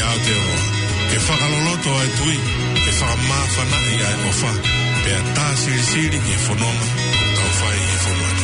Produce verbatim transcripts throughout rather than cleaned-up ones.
Aotearoa, ke fakaloloto ʻa e tui, ke fakamāfanaʻi ʻa e ʻofa, pea tā silisili ki he fononga ʻoku tau fai ʻi he fonua ni.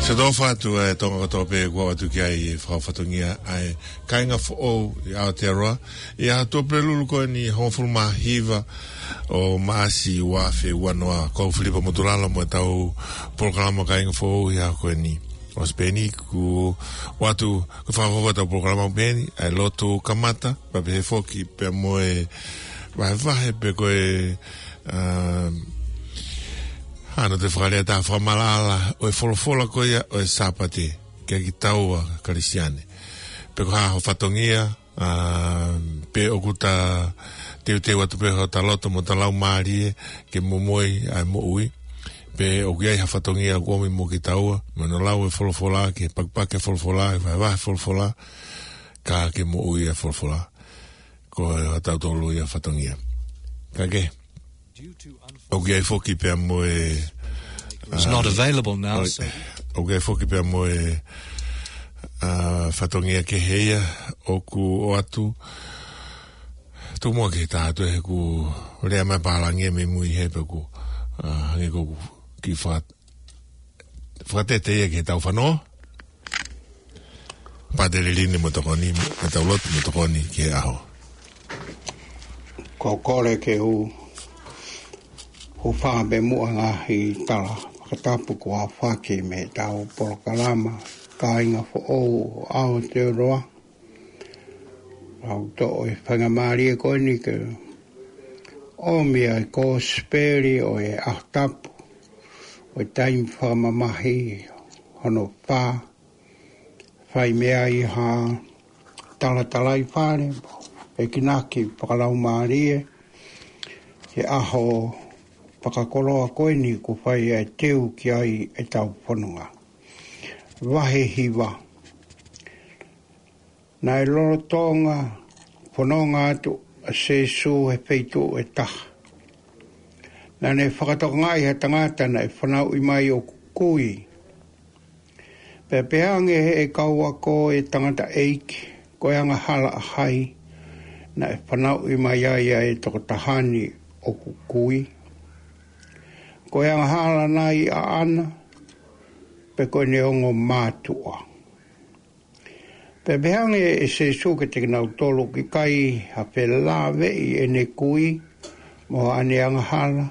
Siʻoto ʻofa atu e Tonga kotoa pē kuo ʻoatu ki ai e fakafatongia ʻa e kāinga foʻou ʻi Aotearoa, ʻi he ʻaho Tuʻapulelulu ko eni hongofulu mā hiva ʻo Maʻasi ua afe ua noa. Ko au Filipa Motulala mo e tau polokalama Kāinga Foʻou ʻi he ʻaho ko eni. ʻOsi pē eni kuo ʻoatu, ko e fakafofonga ʻetau polokalama pē eni, ʻa e lotu kamata, pea pehē foki pea mo e vahevahe pe ko e, um, hano te fakalea ta fakamaʻalaʻala ʻo e folofola ko ia ʻo e Sāpate, kia kitaua Kalisitiane. Pe ko e hā ho fatongia, ʻa, pe ʻoku ta teuteu atu pē hota loto mo ta laumālie ke momoi ʻa e moʻui. Pe ʻoku ʻi ai ha fatongia ʻoku ʻomi mo kitaua, mo hono lau e folofola, ke pakipaki e folofola, ke vahevahe e folofola, ka ke moʻui e folofola. Ko e hatautolu ia fatongia. Ka ke, ʻoku ʻi ai foki pea mo e, It's not, ah, available now, ʻo-, so ʻoku ʻi ai foki pea mo e, ah, fatongia kehe ia ʻoku ʻoatu. Tuku muʻa ke tā atu he ʻoku lea mai pālangi mei mui he pea ʻoku, ah, hangē ko ʻeku kiʻi faka-, fakatete ia ke tau fanongo. Pātele Lini mo tokoni, mo tau lotu mo tokoni ki he ʻaho. Ko e kole ke u hūfanga pē muʻa he ngaahi tala fakatapu kuo aofaki mei heʻetau polokalama Kāinga Foʻou ʻo Aotearoa. ʻOku ou toʻo e faingamālie ko eni ke ʻomi ʻa e kosipeli ʻo e ʻaho tapu, ʻo e taimi fakamamahi hono fā, fai mei ai ha talatalaifale, pekinaki fakalaumālie, ki he ʻaho fakakoloa ko eni kuo fai ai e teu ki ai ʻetau fononga. Vahe hiva. Naʻe lolotonga fononga atu ʻa Sīsū he feituʻu ʻe taha. Naʻa ne fakatokangaʻi ha tangata naʻe fanauʻi mai ʻoku kui. Pea pehē ange ʻe he kau ako ʻo e tangataʻeiki, ko e angahala ʻa hai naʻe fanauʻi mai ai ʻa e tokotaha ni ʻoku kui? Ko e angahala nai ʻaʻana, pe ko ʻene ongo mātuʻa? Pea pehē ange ʻe Sīsū kiate kinautolu, ʻoku ʻikai ha felāveʻi ʻene kui mo haʻane angahala,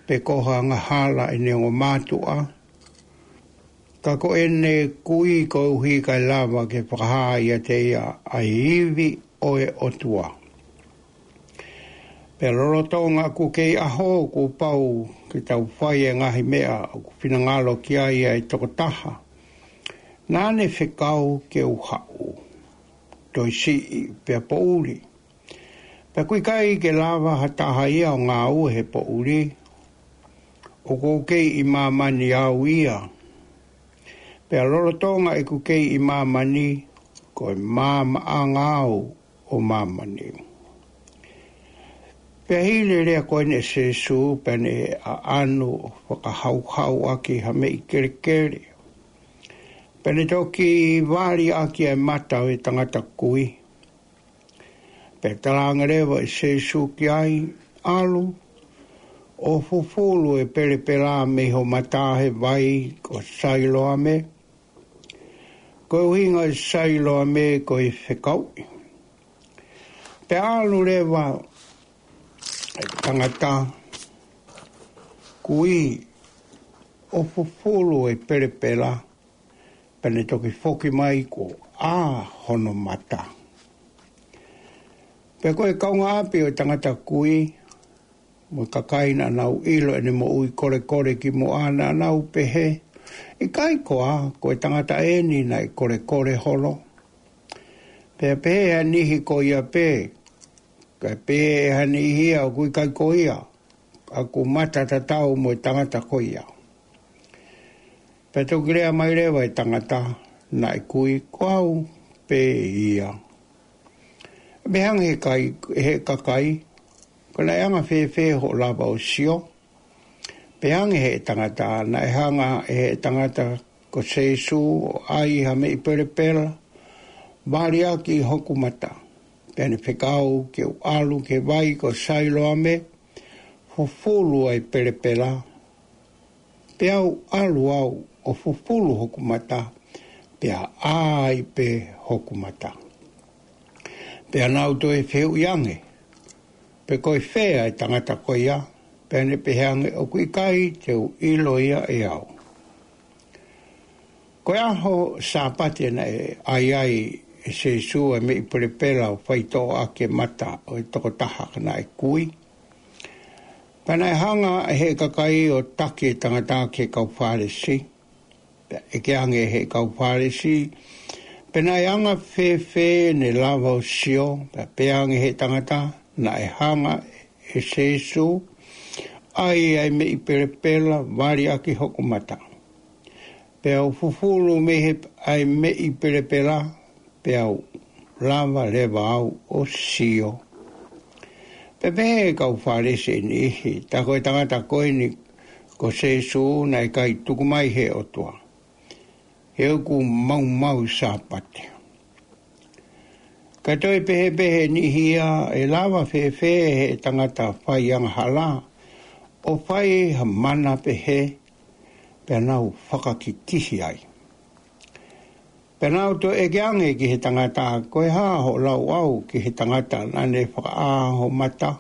pe ko ha angahala ʻene ongo mātuʻa. Ka ko ʻene kui koeʻuhi kae lava ke fakahā ʻiate ia ʻa e ivi ʻo e ʻOtua. Pea lolotonga ʻoku kei ʻaho, kuo pau ke tau fai e ngaahi meʻa ʻoku finangalo ki ai ʻa e tokotaha naʻa ne fekau ke u haʻu, toe siʻi pea poʻuli. Pea ʻoku ʻikai ke lava ha taha ia ʻo ngāue he poʻuli. ʻOku ou kei ʻi māmani au ia. Pea lolotonga ʻeku kei ʻi māmani, ko e maamaʻanga au ʻo māmani. Pea hili e lea ko eni ʻa Sēsū, pea ne ʻaʻanu ʻo fakahauhau ʻaki ha meʻi kelekele. Pea ne toki vali ʻaki ʻa e mata ʻo e tangata kui. Pea talaange leva ʻe Sēsū ki ai, ʻAlu, ʻo fufulu e pelepela mei ho mata he vai ko Sailoame. Ko e ʻuhinga ʻo Sailoame ko e fekauʻi. Pea ʻalu leva e tangata kui ʻo fufulu e pelepela, pea ne toki foki mai kuo ʻā hono mata. Pea ko e kaungāʻapi ʻo e tangata kui, mo e kakai naʻa nau ʻilo ʻene moʻui kolekole kimuʻa naʻa nau pehē, ʻIkai koā ko e tangata eni naʻe kolekole holo? Pea pehē ʻe ha niʻihi ko ia pē, kae pehē ʻe ha niʻihi ia ʻoku ʻikai ko ia, ʻoku mata tatau mo e tangata ko ia. Pea toki lea mai leva e tangata naʻe kui, Ko au pē ia. Pea hanga ʻe he kai-, ʻe he kakai, Ko e naʻe anga fēfē hoʻo lava ʻo sio? Pea hanga ʻe he tangata, naʻe hanga ʻe he tangata ko Sēsū ʻo ʻai ha meʻi pelepela, vali ʻaki hoku mata. Pea ne fekau ke u ʻalu ki he vai ko Sailoame, fufulu ʻa e pelepela, pea u ʻalu au ʻo fufulu hoku mata, pea ʻā ai pē hoku mata. Pea nau toe fehuʻi ange, Pe ko e fē ʻa e tangata ko ia? Pea ne pehē ange, ʻOku ʻikai te u ʻilo ia ʻe au. Ko e ʻaho Sāpate naʻe ʻai ai ʻe Sēsū ʻa e meʻi pelepela ʻo faitoʻo ʻaki e mata ʻo e tokotaha naʻe kui. Pea naʻe hanga ʻe he kakai ʻo taki e tangata ki he kau Fālesi. Pea ʻeke ange ʻe he kau Fālesi, Pe naʻe anga fēfē ʻene lava ʻo sio? Pea pehē ange ʻe he tangata, Naʻe hanga ʻe Sēsū ʻai ʻa e meʻi pelepela, vali ʻaki hoku mata. Pea u fufulu mei he ʻa e meʻi pelepela, pea u lava leva au ʻo sio. Pea pehē ʻe he kau Fālesi ʻe niʻihi, Tā ko e tangata ko eni ko Sēsū naʻe ʻikai tuku mai ʻe he ʻOtua, he ʻoku maumau Sāpate. Kae toe pehē pē ʻe niʻihi ia, ʻE lava fēfē ʻe he tangata fai angahala ʻo fai ha mana pehē? Pea nau fakakikihi ai. Pea nau toe ʻeke ange ki he tangata, Ko e hā hoʻo lauʻau ki he tangata naʻa ne fakaʻā ho mata?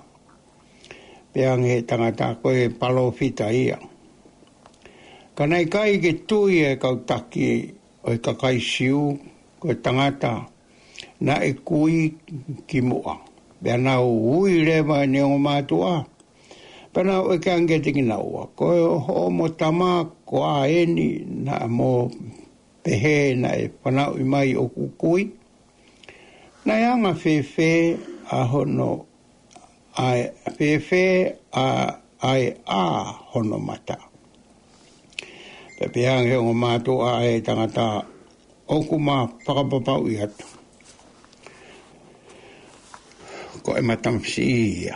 Pehē ange ʻe he tangata, Ko e palōfita ia. Ka naʻe ʻikai ke tui ʻa e kau taki ʻo e kakai Siu ko e tangata naʻe kui kimuʻa. Pea nau ui leva ʻene ongo mātuʻa, pea nau ʻeke ange kiate kinaua, Ko hoʻomo tama koā eni naʻa mo pehē naʻe fanauʻi mai ʻoku kui? Naʻe anga fēfē ʻa hono, ʻa e, fēfē ʻa, ʻa e ʻā hono mata? Pea pehē ange ʻe he ongo mātuʻa ʻa e tangata, ʻOku ma fakapapauʻi atu, ko e matamasiʻi ia.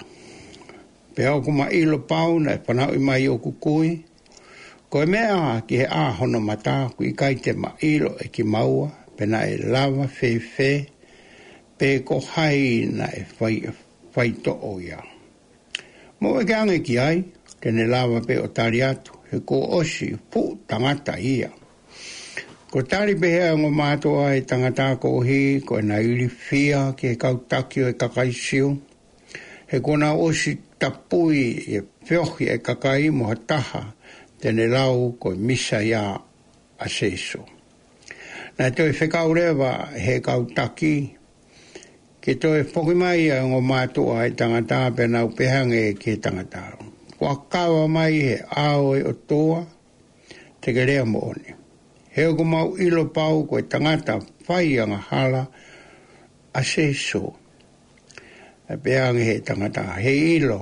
Pea ʻoku ma ʻilo pau naʻe fanauʻi mai ʻoku kui. Ko e meʻa ki he ʻā hono mata, ʻoku ʻikai te ma ʻilo ʻe kimaua pe naʻe lava fēfē, pe ko hai naʻe fai, faitoʻo ia. Mou ʻeke ange ki ai, te ne lava pē ʻo tali atu, he kuo ʻosi fuʻu tangata ia. Ko e tali pē ʻe he ongo mātuʻa ʻa e tangata koeʻuhi ko ʻena ilifia ki he kau taki ʻo e kakai Siu, he kuo nau ʻosi tapui ʻe feohi ʻa e kakai mo ha taha te ne lau ko e Mīsaia ʻa Sēsū. Naʻe toe fekau leva ʻe he kau taki ke toe foki mai ʻa e ongo mātuʻa ʻa e tangata, pea nau pehē ange ki he tangata, Kuo kava mai ʻe he ʻao ʻo e ʻOtua, te ke lea moʻoni, he ʻoku mau ʻilo pau ko e tangata fai angahala ʻa Sēsū. Pea pehē ange ʻe he tangata, Heiʻilo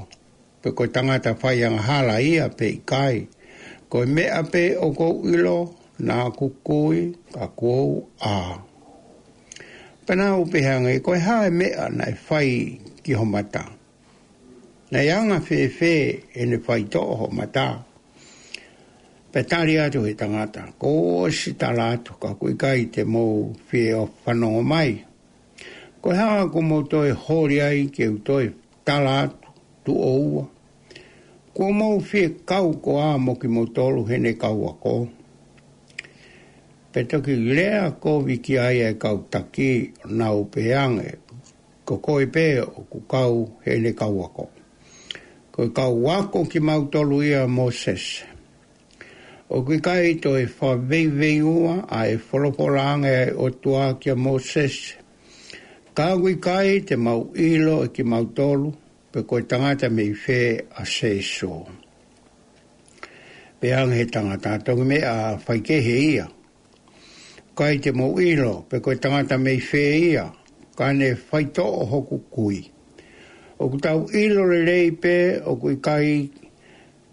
pe ko e tangata fai angahala ia pe ʻikai. Ko e meʻa pē ʻoku ou ʻilo, Naʻa ku kui, ka kuo u ʻā. Pea naʻa ku pehē ange, Ko e hā e meʻa naʻe fai ki ho mata? Naʻe anga fēfē ʻene faitoʻo ho mata? Pea tali atu he tangata, Kuo u ʻosi tala atu, ka ʻoku ʻikai te mou fie ʻo fanongo mai. Ko e hā ʻoku mou toe holi ai ke u toe tala atu, tuʻo ua? Kuo mou fie kau koā mo kimoutolu heʻene kau ako? Pea toki lea kovi ki ai ʻa e kau taki, ʻo nau pehē ange, Ko koe pē ʻoku kau heʻene kau ako, ko e kau ako kimautolu ia ʻa Mōsese. ʻOku ʻikai toe fakaveiveiua ʻa e folofola ange ʻa e ʻOtua kia Mōsese, ka ʻoku ʻikai te mau ʻilo ʻe kimautolu pe ko e tangata mei fē ʻa Sēsū. Pehē ange he tangata, Toki meʻa faikehe ia. ʻIkai te mou ʻilo pe ko e tangata mei fē ia, ka ne faitoʻo hoku kui. ʻOku tau ʻilo lelei pē ʻoku ʻikai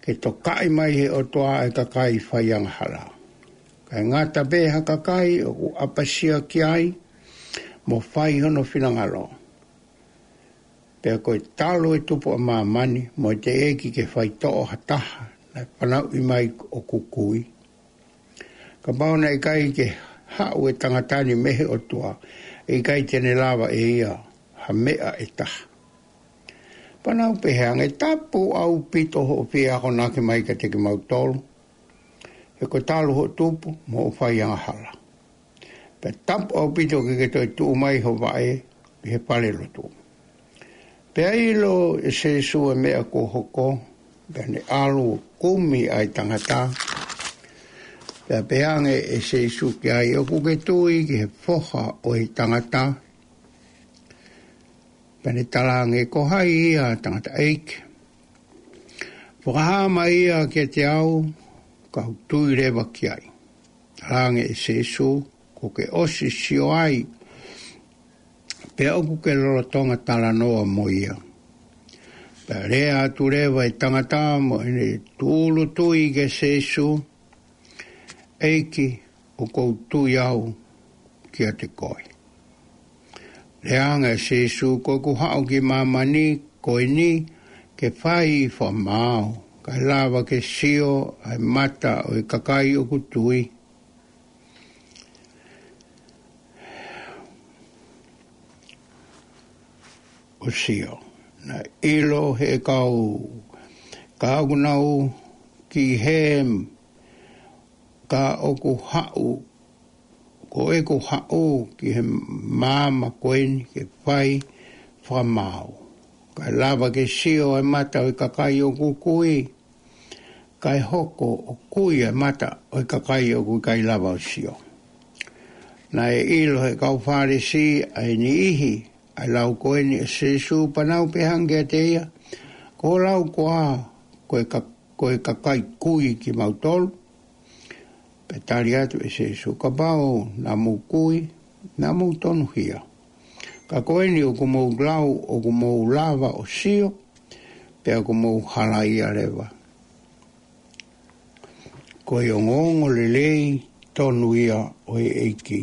ke tokaʻi mai he ʻOtua ʻa e kakai faiangahala. Kae ngata pē ha kakai ʻoku ʻapasia ki ai, mo fai hono finangalo. Pea ko e talu e tupu ʻa māmani, mo e teʻeki ke faitoʻo ha taha naʻe fanauʻi mai ʻoku kui. Kapau naʻe ʻikai ke haʻu e tangata ni mei he ʻOtua, ʻe ʻikai te ne lava ʻe ia ha meʻa ʻe taha. Pea naʻa ku pehē ange, Tapu ʻaupito hoʻo fie akonaki mai kiate kimautolu, he ko e talu hoʻo tupu mo hoʻo faiangahala. Pea tapu ʻaupito ke ke toe tuʻu mai ho vaʻe ʻi he falelotu. Pea ʻilo ʻe Sēsū e meʻa kuo hoko, pea ne ʻalu ʻo kumi ʻa e tangata. Pea pehē ange ʻe Sēsū ki ai, ʻOku ke tui ki he Foha ʻo e tangata? Pea ne tala ange, Ko hai ia, tangataʻeiki? Fakahā mai ia kiate au, kau tui leva ki ai. Tala ange ʻe Sēsū, Kuo ke ʻosi sio ai, pea ʻoku ke lolotonga talanoa mo ia. Pea lea atu leva e tangata mo ʻene tūʻulutui kia Sēsū, ʻEiki, ʻoku ou tui au kiate koe. Lea ange ʻa Sēsū, Ko ʻeku haʻu ki māmani ko eni ke fai fakamaau, kae lava ke sio ʻa e mata ʻo e kakai ʻoku tui. ʻO sio, naʻe ʻilo he kau, ka ʻoku nau ki he, ka ʻoku haʻu, ko ʻeku haʻu ki he maama ko eni ke fai fakamaau, kae lava ke sio ʻa e mata ʻo e kakai ʻoku kui, kae hoko ʻo kui ʻa e mata ʻo e kakai ʻoku ʻikai lava ʻo sio. Naʻe ʻilo he kau Fālesi ʻa e niʻihi ʻa e lau ko eni ʻa Sēsū, pea nau pehē ange kiate ia, Ko hoʻo lau koā ko e ka-, ko e kakai kui kimautolu? Pea tali atu ʻe Sēsū, Kapau naʻa mou kui, naʻa mou tonuhia. Ka ko eni ʻoku mou lau, ʻoku mou lava ʻo sio, pea ʻoku mou halaia leva. Ko e ongoongolelei tonu ia ʻo e ʻEiki.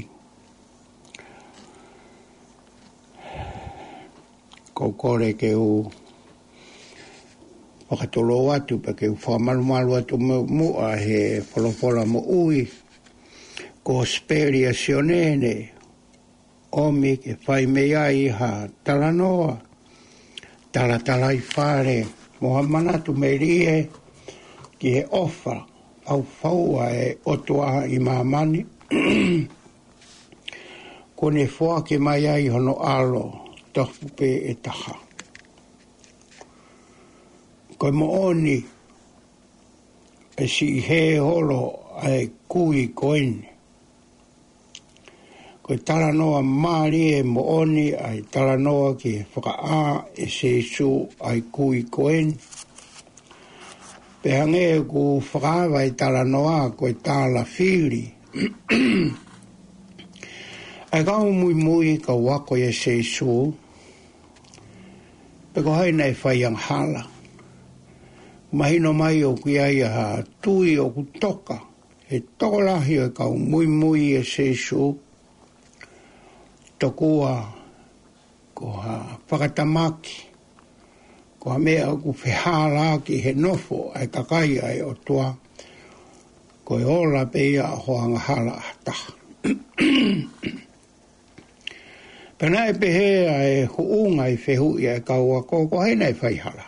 ʻOku ou kole ke u fakatulou atu, pea ke u fakamalumalu atu mo-, muʻa he folofola moʻui, Kosipeli ʻa Sione, ne ʻomi ke fai mei ai ha talanoa, talatalaifale, mo ha manatu melie ki he ʻofa faufaua ʻa e ʻOtua ʻi māmani, kuo ne foaki mai ai hono ʻAlo tofu pē ʻe taha. Ko e moʻoni, ʻe siʻi hē holo ʻa e kui ko eni. Ko e talanoa mālie moʻoni ʻa e talanoa ki he fakaʻā ʻe Sēsū ʻa e kui ko eni. Pea hangē ʻoku fakaava e talanoa ko e tālafili ʻa e kau muimui, kau ako ʻia Sēsū, pe ko hai naʻe faiangahala. Mahino mai ʻoku ʻi ai ha tui ʻoku toka he tokolahi ʻo e kau muimui ʻa Sīsū, tokua ko ha fakatamaki, ko ha meʻa ʻoku fehālaaki he nofo ʻa e kakai ʻa e ʻOtua, ko e ola pē ia ʻo e angahala ʻa ha taha. Pea naʻe pehē ʻa e huʻunga ʻi he fehuʻi ʻa e kau ako, ko hai naʻe faihala?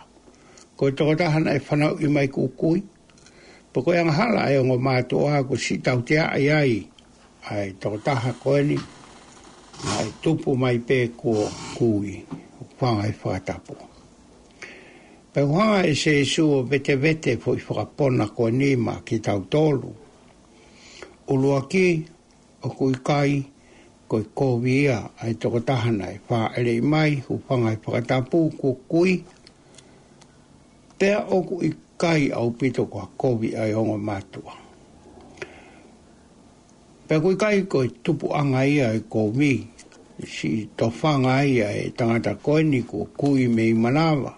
Ko e tokotaha naʻe fanauʻi mai kuo kui, pe ko e angahala ʻa e ongo mātuʻa kuo siʻi tauteaʻi ai ʻa e tokotaha ko eni, naʻe tupu mai pē kuo kui, hūfanga he fakatapu. Pea hanga ʻe Sīsū ʻo vetevete foʻi fakapona ko eni maʻa kitautolu. ʻUluaki, ʻoku ʻikai ko e kovi ia ʻa e tokotaha naʻe fāʻeleʻi mai, hūfanga he fakatapu kuo kui, pea ʻoku ʻikai ʻaupito ko ha kovi ʻa e ongo mātuʻa. Pea ʻoku ʻikai ko e tupuʻanga ia ʻo e kovi, siʻi tofanga ai ʻa e tangata ko eni kuo kui mei manava.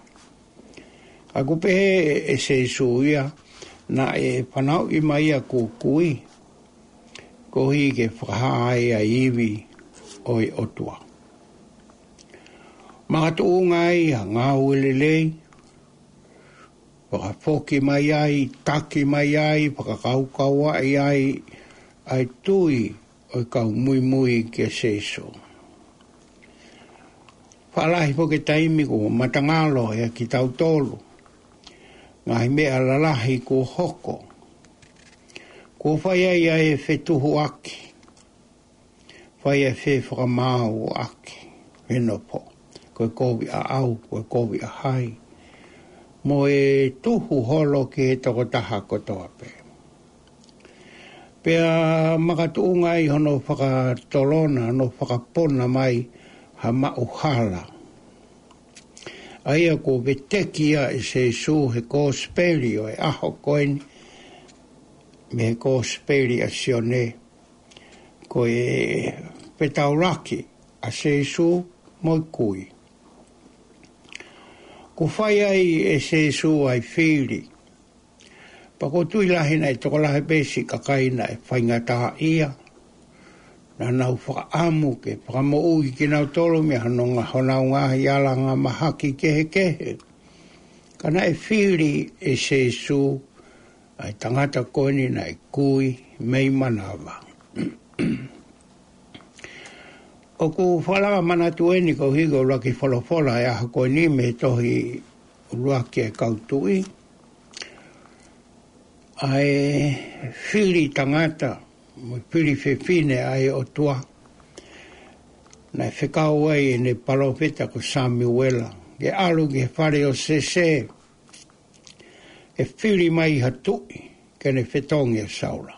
Ka ʻoku pehē ʻe Sīsū ia, naʻe fanauʻi mai ia kuo kui, koeʻuhi ke fakahā ai ʻa e ivi ʻo e ʻOtua. Makatuʻunga ai ha ngāue lelei, fakafoki mai ai, taki mai ai, fakakaukauaʻi ai ʻa e tui ʻo e kau muimui kia Sīsū. Faʻa lahi foki e taimi kuo matangalo ʻia kitautolu ngaahi meʻa lalahi kuo hoko. Kuo fai ai ʻa e fetuhuʻaki, fai ʻa e fefakamaauʻaki, he nofo, ko e kovi ʻaʻau, ko e kovi ʻa hai, mo e tuhu holo ki he tokotaha kotoa pē. Pea makatuʻunga ai hono fakatolona, hono fakapona mai ha maʻuhala. ʻA ia kuo veteki ia ʻe Sīsū he kosipeli ʻo e ʻaho ko eni, mei he kosipeli ʻa Sione, ko e fetaulaki ʻa Sīsū mo e kui. Kuo fai ai ʻe Sīsū ʻa e fili. Pea ʻoku ou tui lahi naʻe tokolahi pē siʻi kakai naʻe faingataʻaʻia. Naʻa nau fakaʻamu ke fakamoʻui kinautolu mei honau ngaahi, honau ngaahi alanga mahaki kehekehe. Ka naʻe fili ʻe Sīsū ʻa e tangata ko eni naʻe kui mei manava. ʻOku ou fakalanga manatu eni koeʻuhi ko e ʻuluaki folofola ʻo e ʻaho ko eni mei he tohi ʻuluaki ʻa e kau tuʻi. ʻA e fili tangata, mo e fili fefine ʻa e ʻOtua. Naʻe fekau ai ʻene palōfita ko Samiuela, ke ʻalu ki he fale ʻo Sese, ke fili mai ha tuʻi, ke ne fetongi ʻa Saula.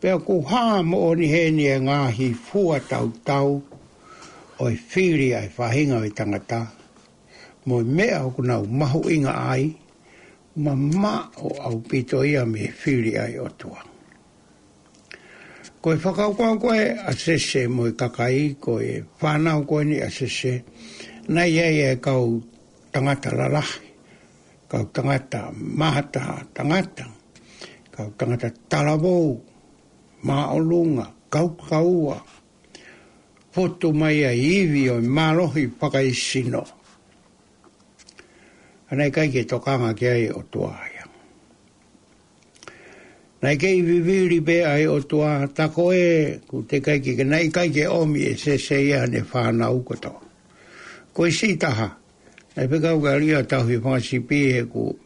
Pea ʻoku hā moʻoni heni e ngaahi fua tautau ʻo e fili ʻa e faʻahinga ʻo e tangata, mo e meʻa ʻoku nau mahuʻinga ai, mamaʻo ʻaupito ia mei he fili ʻa e ʻOtua. Ko e fakakaukau ko ē ʻa Sese mo e kakai, ko e fānau ko eni ʻa Sese, naʻe ʻi ai e kau tangata lalahi, kau tangata mata tangata, kau tangata talavou, māʻolunga, kaukaua, fotu mai ʻa e ivi ʻo e mālohi fakaesino. Ka naʻe ʻikai ke tokanga ki ai e ʻOtua ia. Naʻe kei vivili pē ʻa e ʻOtua, tā ko ē, ʻoku teʻeki ke, naʻe ʻikai ke ʻomi ʻe Sese ia ʻene fānau kotoa. Ko e siʻi taha, naʻe fekau ke ʻalu ia ʻo tauhi e fanga sipi he ʻoku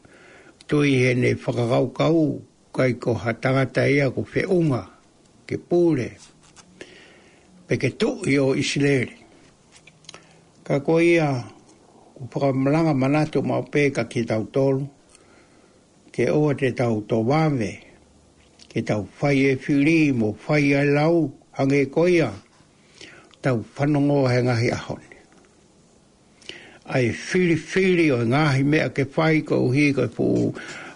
tui heʻene fakakaukau, ʻikai ko ha tangata ia ʻoku feʻunga ke pule, pe ke tuʻi ʻo ʻIsileli. Ka ko ia, ʻoku ou fakalanga manatu maʻu pē kia kitautolu, ke ʻoua te tau tō vave, ke tau fai e fili mo fai ʻa e lau, hangē ko ia, tau fanongo he ngaahi ʻaho ni. ʻA e filifili ʻo e ngaahi meʻa ke fai koeʻuhi ko e fuʻu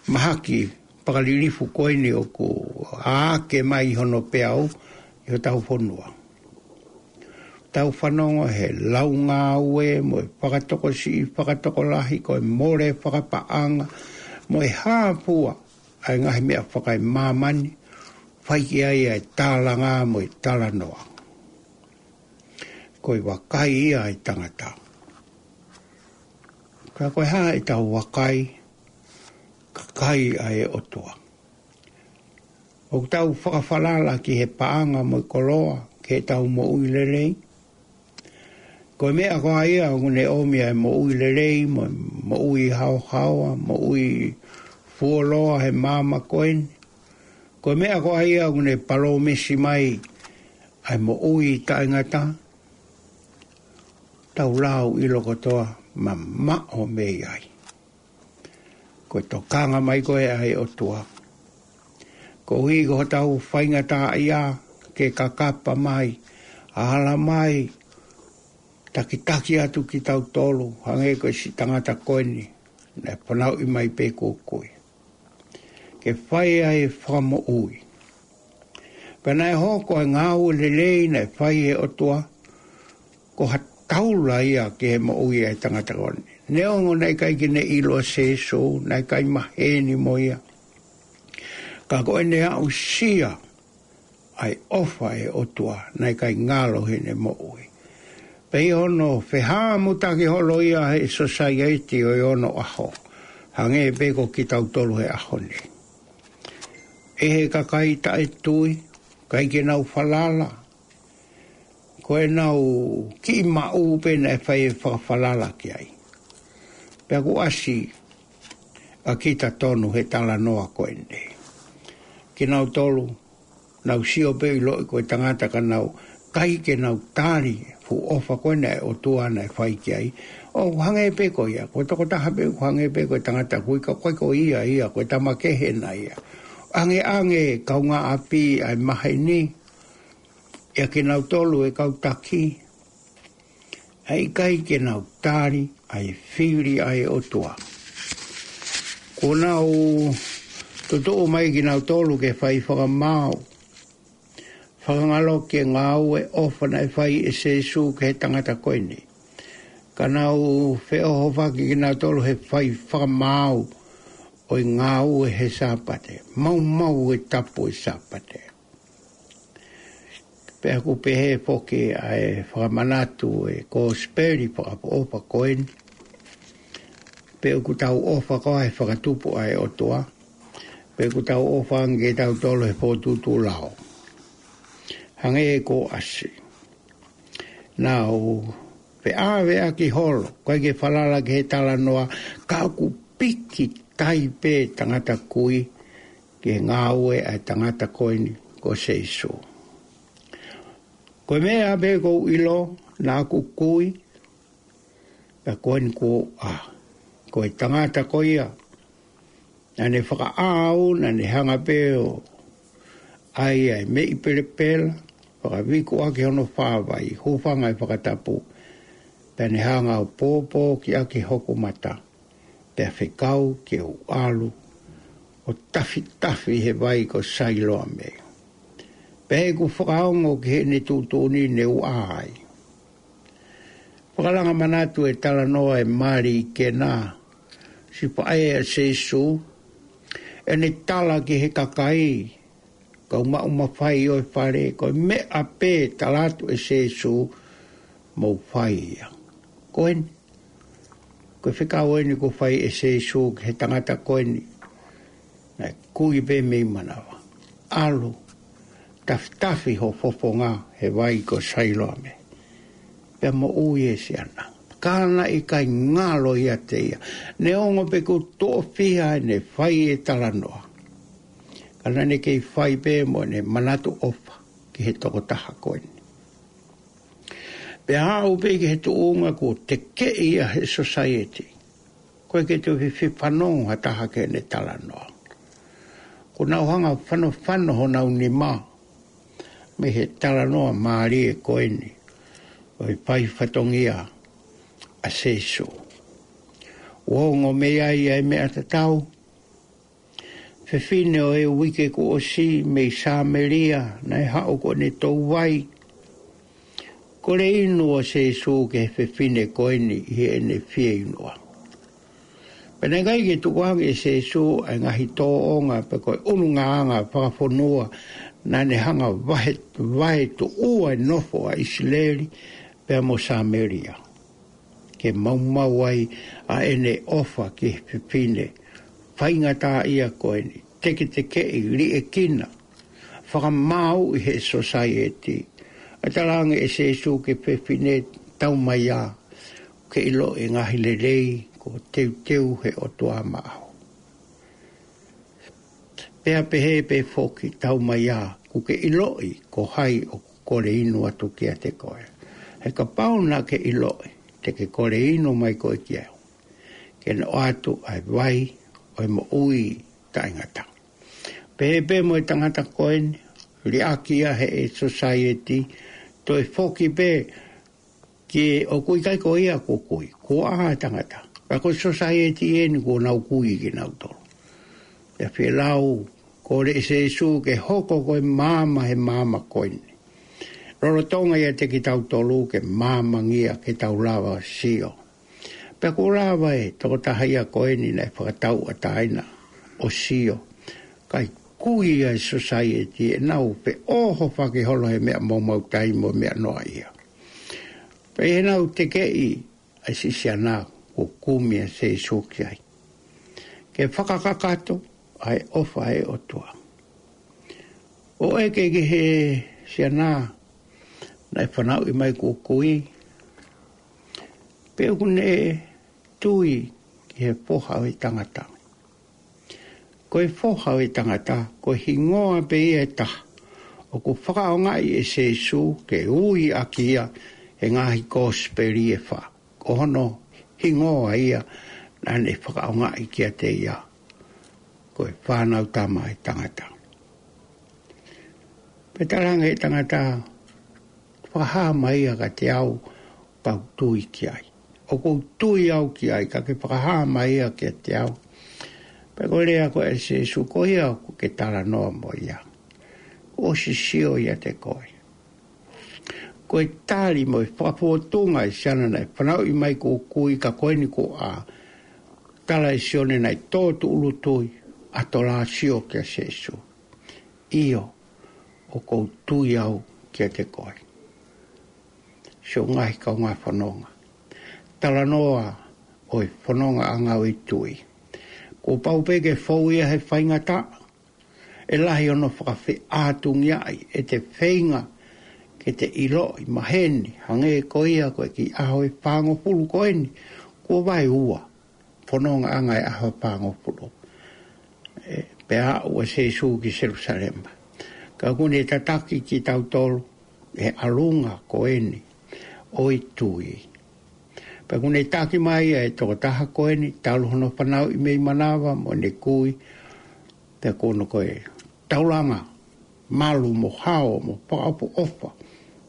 mahaki fakalilifu ko eni ʻoku ʻā hake mai hono peau ʻi hotau fonua. Tau fanongo he lau ngāue mo e fakatokosiʻi, fakatokolahi, ko e mole fakapaʻanga, mo e hā fua ʻa e ngaahi meʻa fakaemāmani, fai ki ai ʻa e tālanga mo e talanoa. Ko e vakai ia ʻa e tangata. Ka ko e hā ʻetau vakai, kakai ʻa e ʻOtua. ʻOku tau fakafalala ki he paʻanga mo e koloa, ki heʻetau moʻui lelei. Ko e meʻa ko ia ʻoku ne ʻomi ʻa e moʻui lelei, mo, moʻui haohaoa, moʻui fuoloa he māmani ko eni. Ko e meʻa ko ia ʻoku ne palōmesi mai ʻa e moʻui taʻengata. Tau lau ʻilo kotoa mamaʻo mei ai. Ko e tokanga mai ko ē ʻa e ʻOtua. Koeʻuhi ko hotau faingataʻaʻia ke kakapa mai, ala mai, takitaki atu kitautolu, hangē ko e siʻi tangata ko eni, naʻe fanauʻi mai pē ko kui. Ke fai ʻa e fakamoʻui. Pea naʻe hoko ʻa e ngāue lelei naʻe fai ʻe he ʻOtua, ko ha taula ia ki he moʻui ʻa e tangata ko eni. Neongo naʻe ʻikai ke ne ʻilo ʻa Sēsū, naʻe ʻikai maheni mo ia. Ka ko ʻene aʻusia ʻa e ʻofa ʻa e ʻOtua, naʻe ʻikai ngalo heʻene moʻui. Pea ʻi hono fehāmutaki holo ia he sōsaieti ʻo e onoʻaho. Hangē pē ko kitautolu he ʻaho ni. ʻE he kakai taʻetui, ʻikai ke nau falala, ko ʻenau kiʻi maʻu pē naʻe fai e fakafalala ki ai. Pea ʻoku ʻasi ʻa kita tonu he talanoa ko eni. Kinautolu, nau sio pē ʻiloʻi ko e tangata ka nau ʻikai ke nau tali fuʻu ʻofa ko ena ʻa e ʻOtua naʻe fai ki ai. ʻO hangē pē ko ia, ko e tokotaha pē ʻoku hangē pē ko e tangata kui ka ʻoku ʻikai ko ia ia, ko e tama kehe ena ia. ʻAngeʻange kaungāʻapi ʻa e maheni, ʻia kinautolu e kau taki, ʻa e ʻikai ke nau tali ʻa e fili ʻa e ʻOtua. Kuo nau tutuʻu mai kinautolu ke fai fakamaau, fakangaloʻi e ngāue ʻofa naʻe fai ʻe Sēsū ki he tangata ko eni. Ka nau feʻohofaki kinautolu he fai fakamaau ʻo e ngāue he Sāpate. Maumau e tapu e Sāpate. Pea ʻoku pehē foki ʻa e fakamanatu e kosipeli fakaʻofoʻofa ko eni. Pe ʻoku tau ʻofa koā he fakatupu ʻa e ʻOtua. Pe ʻoku tau ʻofa ange kitautolu he fōtuʻutuʻu lao. Hangē ko ʻasi. Nau feʻaveʻaki holo, ʻikai ke falala ki he talanoa, ka ʻoku piki tai pē tangata kui, ki he ngāue ʻa e tangata ko eni ko Sēsū. Ko e meʻa pē ʻoku ou ʻilo, naʻa ku kui, pea ko eni kuo u ʻā. Ko e tangata ko ia, naʻa ne fakaʻau, naʻa ne hanga pē ʻo ʻai ʻa e meʻi pelepela, fakavikuʻaki hono fāvai, hūfanga he fakatapu, pea ne hanga ʻo pōpō ki ʻaki hoku mata. Pea fekau ke u ʻalu ʻo tafitafi he vai ko Sailoame. Pea ʻi heʻeku fakaongo ki heʻene tuʻutuʻuni ne u ʻā ai. Fakalanga manatu e talanoa e mali ke na sipaʻe ʻa Sēsū, ʻene tala ki he kakai, kau maʻu mafai ʻo e fale, ko e meʻa pē tala atu ʻe Sēsū, mou fai ia. Ko eni, ko e fekau eni kuo fai ʻe Sēsū ki he tangata ko eni. Naʻe kui pē mei manava. ʻAlu, tafitafi ho fofonga he vai ko Sailoame. Pea moʻui ʻa e siana. Ka naʻe ʻikai ngalo ʻiate ia. Neongo pē kuo toʻo fiha ʻene fai e talanoa. Ka naʻa ne kei fai pē mo ʻene manatu ʻofa ki he tokotaha ko eni. Pea aʻu pē ki he tuʻunga kuo tekeʻi ia he sōsaieti. ʻOku ʻikai ke toe fifano ha taha ki heʻene talanoa. Kuo nau hanga fanofano honau nima. Mei he talanoa mālie ko eni. ʻO e fai fatongia ʻa Sēsū. ʻOku ongo mei ai ʻa e meʻa tatau. Fefine ʻo e uike kuo ʻosi mei Sāmelia, naʻe haʻu ko ʻene tou vai. Kole inu ʻa Sēsū ki he fefine ko eni ʻi heʻene fieinua. Pea naʻe ʻikai ke tukuange ʻe Sēsū ʻa e ngaahi tōʻonga pe ko e ʻulungaanga fakafonua naʻa ne hanga vahe, vahe tuʻua e nofo ʻa ʻIsileli pea mo Samēlia, ke maumau ai ʻa ʻene ʻofa ki he fefine faingataʻaʻia ko eni, teketekeʻi, liʻekina, fakamāuʻi he sōsaieti. ʻA e talaange ʻe Sēsū ki he fefine, tau mai ā, ke ʻiloʻi e ngaahi lelei kuo teuteu he ʻOtua maʻau. Pea pehē pē foki, tau mai ā, kuo ke ʻiloʻi ko hai ʻoku kole inu atu kiate koe. He kapau naʻa ke ʻiloʻi, te ke kole inu mai koe kiate au, ke ne ʻoatu ʻa e vai ʻo e moʻui taʻengata. Pehē pē mo e tangata ko eni, liʻaki ia he sōsaieti, toe foki pē ki he ʻoku ʻikai ko ia kuo kui, kuo ʻā e tangata. Ka ko e sōsaieti eni kuo nau kui kinautolu. Pea fie lau, kole ʻe Sēsū ke hoko ko e maama he maama ko eni, lolotonga ʻiate kitautolu ke maamangia ke tau lava ʻo sio. Pea kuo lava e tokotaha ia ko eni naʻe fakatauʻatāina ʻo sio. Kae kui ʻa e sōsaieti ʻenau feʻohofaki holo he meʻa maumautai mo e meʻa noaʻia. Pea ʻi heʻenau tekeʻi ʻa e siʻi siana kuo kumi ʻa Sēsū ki ai, ke fakakakato ʻa e ʻofa ʻa e ʻOtua. ʻO ʻeke ki he siana naʻe fanauʻi mai kuo kui, pe ʻoku ne tui ki he Foha ʻo e tangata. Ko e Foha ʻo e tangata, ko e hingoa pē ia ʻe taha ʻoku fakaʻaongaʻi ʻe Sēsū ke ui ʻaki ia he ngaahi kosipeli ʻe fā. Ko hono hingoa ia naʻa ne fakaʻaongaʻi kiate ia, ko e Fānautama ʻo e tangata. Pea talaange ʻe he tangata, fakahā mai ia kiate au, kau tui ki ai. ʻOku ou tui au ki ai, ka ke fakahā mai ia kiate au. Pea ko e lea ko ē ʻa Sēsū, ko ia ʻoku ke talanoa mo ia, kuo ʻosi sio ʻiate koe. Ko e tali mo e fakafōtunga ʻa e siana naʻe fanauʻi mai kuo kui ka ko eni kuo ʻā, tala ʻe Sione naʻe tō tuʻulu tui, ʻatolā sio kia Sēsū. ʻIo, ʻoku ou tui au kiate koe. Siʻoku ngaahi kaungā fononga. Talanoa ʻo e fonongaʻanga ʻo e tui. Kuo pau pē ke fou ia he faingataʻa, ʻe lahi hono fakafeʻātungiaʻi ʻete feinga ke te ʻiloʻi maheni, hangē ko ia ko e kiʻi ʻaho ʻe fāngofulu ko eni, kuo vaeua fonongaʻanga ʻe ʻaho ʻe fāngofulu. ʻE, pea aʻu ʻa Sēsū ki Selusalema. Ka ʻoku ne tataki kitautolu he ʻalunga ko eni ʻo e tui. Pea ʻoku ne taki mai ʻa e tokotaha ko eni, talu hono fanauʻi mei manava mo ne kui, pea ko hono ko e taulanga malu mo hao mo fakaʻofoʻofa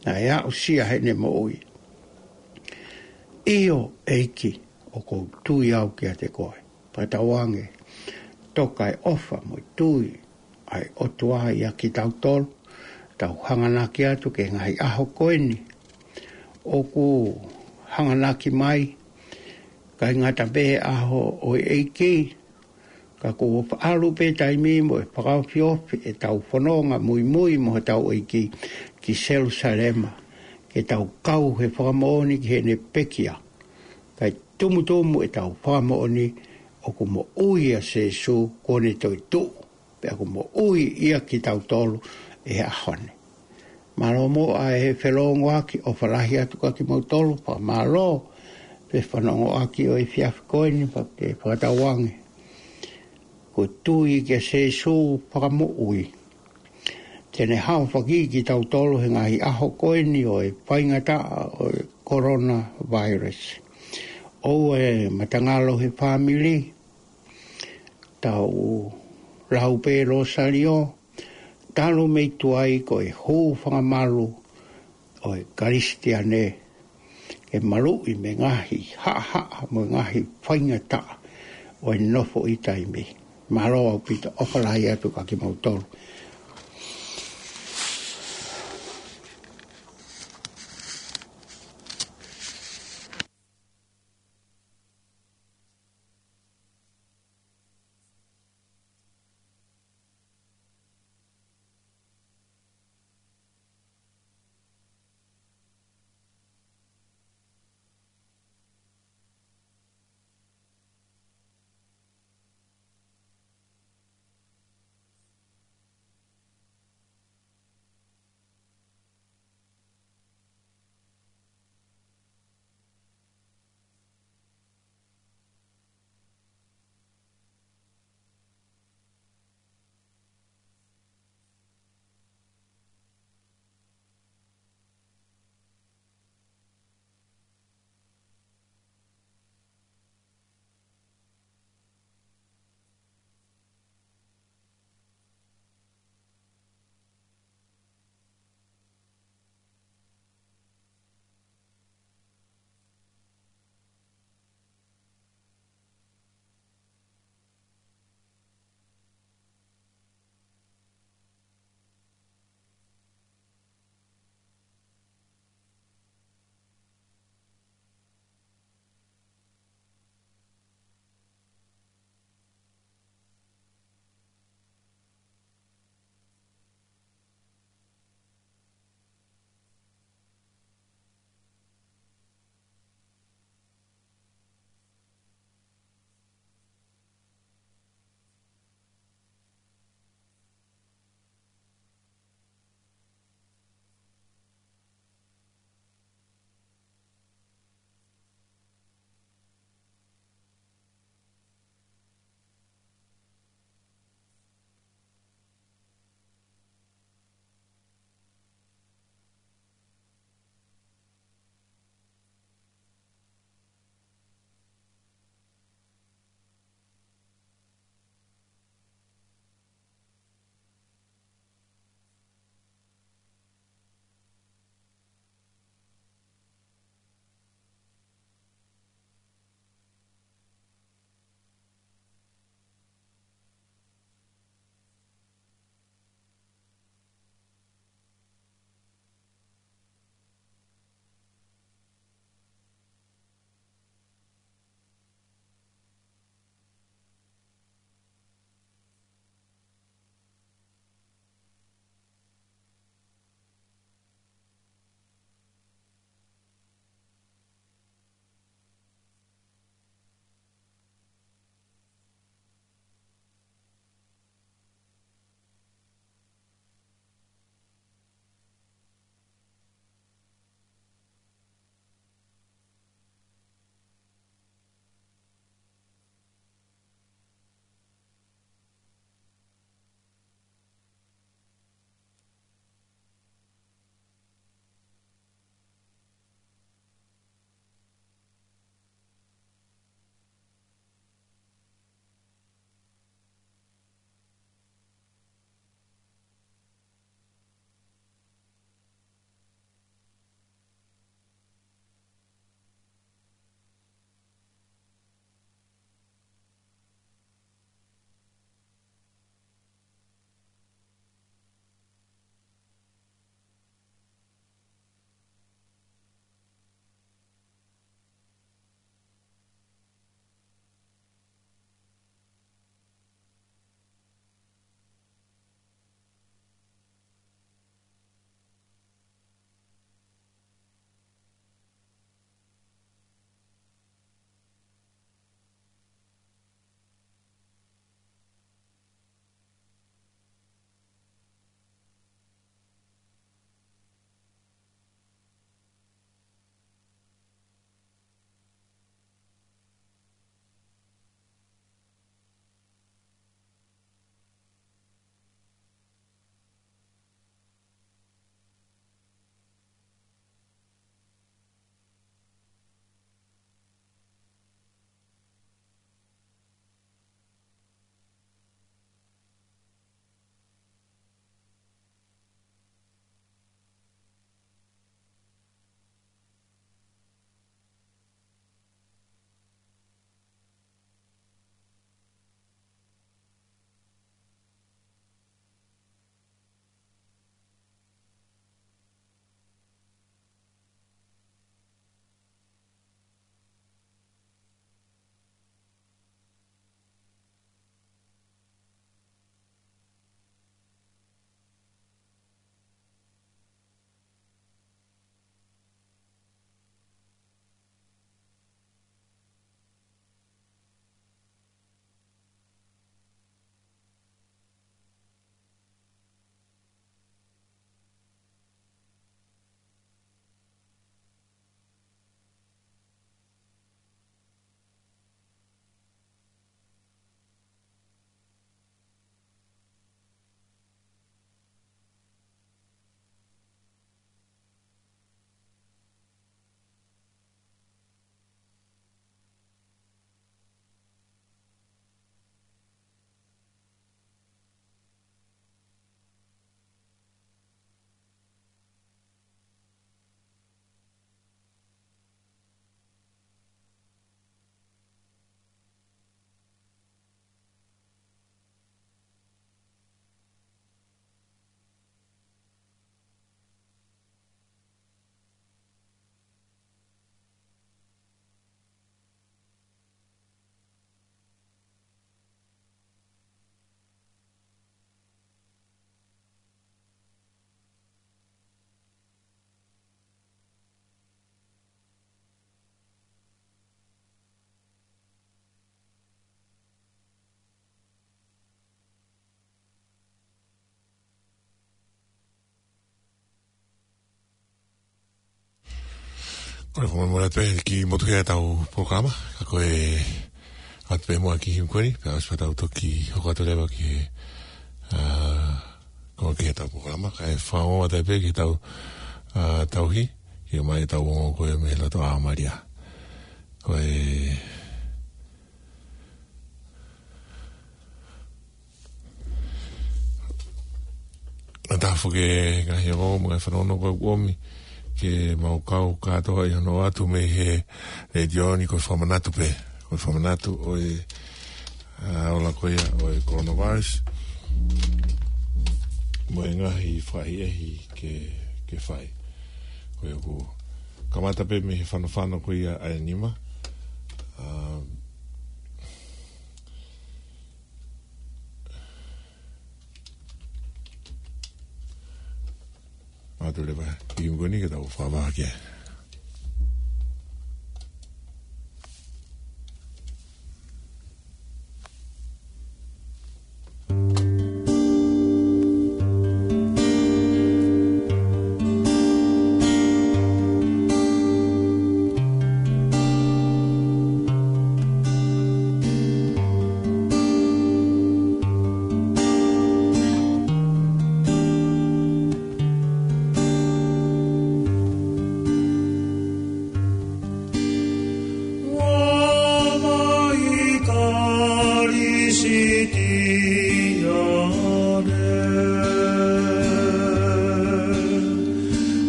naʻe aʻusia heʻene moʻui. ʻIo, ʻEiki, ʻoku ou tui au kiate koe. Pea tauange, toka e ʻofa mo e tui ʻa e ʻOtua ʻia kitautolu, tau hanganaki atu ki he ngaahi ʻaho ko eni ʻoku hanganaki mai, ʻikai ngata pē he ʻaho ʻo e ʻEiki, ka kuo ʻalu pē taimi mo e fakaofiofi ʻetau fononga muimui mo hotau ʻEiki ki Selusalema, ke tau kau he fakamoʻoni ki heʻene pekia. Kae tumutumu ʻetau fakamoʻoni ʻoku moʻui ʻa Sēsū, kuo ne toetuʻu, pea ʻoku moʻui ʻia kitautolu ʻi he ʻaho ni. Mālō muʻa e felōngoaki, ʻofa lahi atu kia kimoutolu, fakamālō pē fanongoʻaki ʻo e efiafi ko eni, pea ke fakatauange ko e tui kia Sēsū fakamoʻui, te ne haofaki kitautolu he ngaahi ʻaho ko eni ʻo e faingataʻa ʻo e coronavirus. ʻOua ʻe matangalo he fāmili, tau lau pē Lōsālio, talu mei tuai ko e hūfanga malu ʻo e Kalisitiane, ke maluʻi mei he ngaahi haʻahaʻa mo e ngaahi faingataʻa ʻo e nofo ʻi taimi. Mālō ʻaupito, ʻofa lahi atu kia kimoutolu. Pea ko e molemole atu pē ki he motuhia ʻetau polokalama, ka ko e ʻoatu pē muʻa ki he himi ko eni, pea ʻosi pea tau toki hoko atu leva ki he, ā, ko e ki heʻetau polokalama, kae fakaongo atu pē ki heʻetau, ā, tauhi, ki he mai ʻetau ongo ko ē mei loto ʻa Malia. Ko e ʻA taha foki e ngaahi ongo mo e ngaahi fanongo ko ē ʻoku ʻomi ke mau kau kātoa ʻi hono ʻoatu mei he letiō ni ko e fakamanatu pē. Ko e fakamanatu ʻo e, ā, ola ko ia ʻo e coronavirus. Mo e ngaahi fakaʻehiʻehi ke, ke fai. Ko ia ʻoku kamata pē mei he fanofano ko ia ʻa e nima. Ā, ʻoatu leva ki he himi ko eni ke tau fakavaʻa ki ai. Roma i Kalisitiane.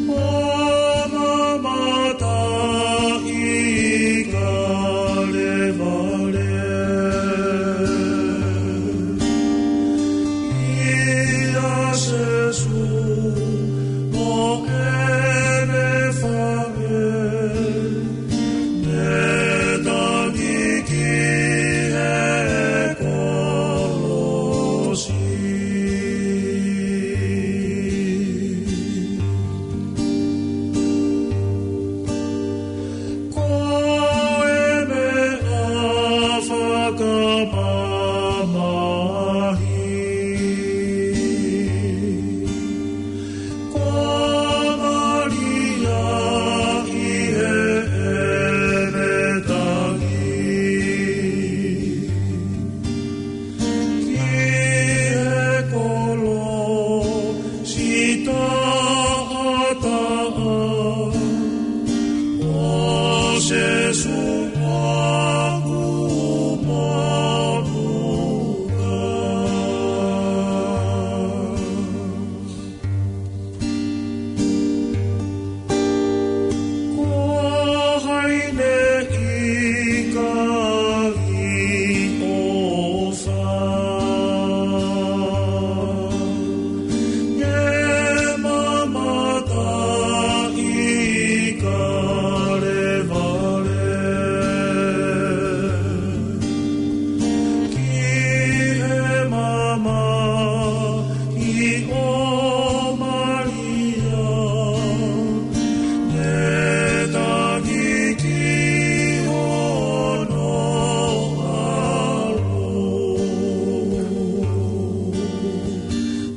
Roma mata i Kalevale. ʻIa Sēsū mo ʻene faʻē. Ne tangi ki he kolosi. Ko e meʻa fakamamahi. Ko Malia ʻi heʻene tangi ki he kolosi taʻataʻa ʻo Sēsū ʻoku motuʻa. Ko hai ne ʻikai ʻofa, ne mamata ʻi Kalevale. Ki he mamahi ʻo Malia, ne tangi ki hono ʻAlo.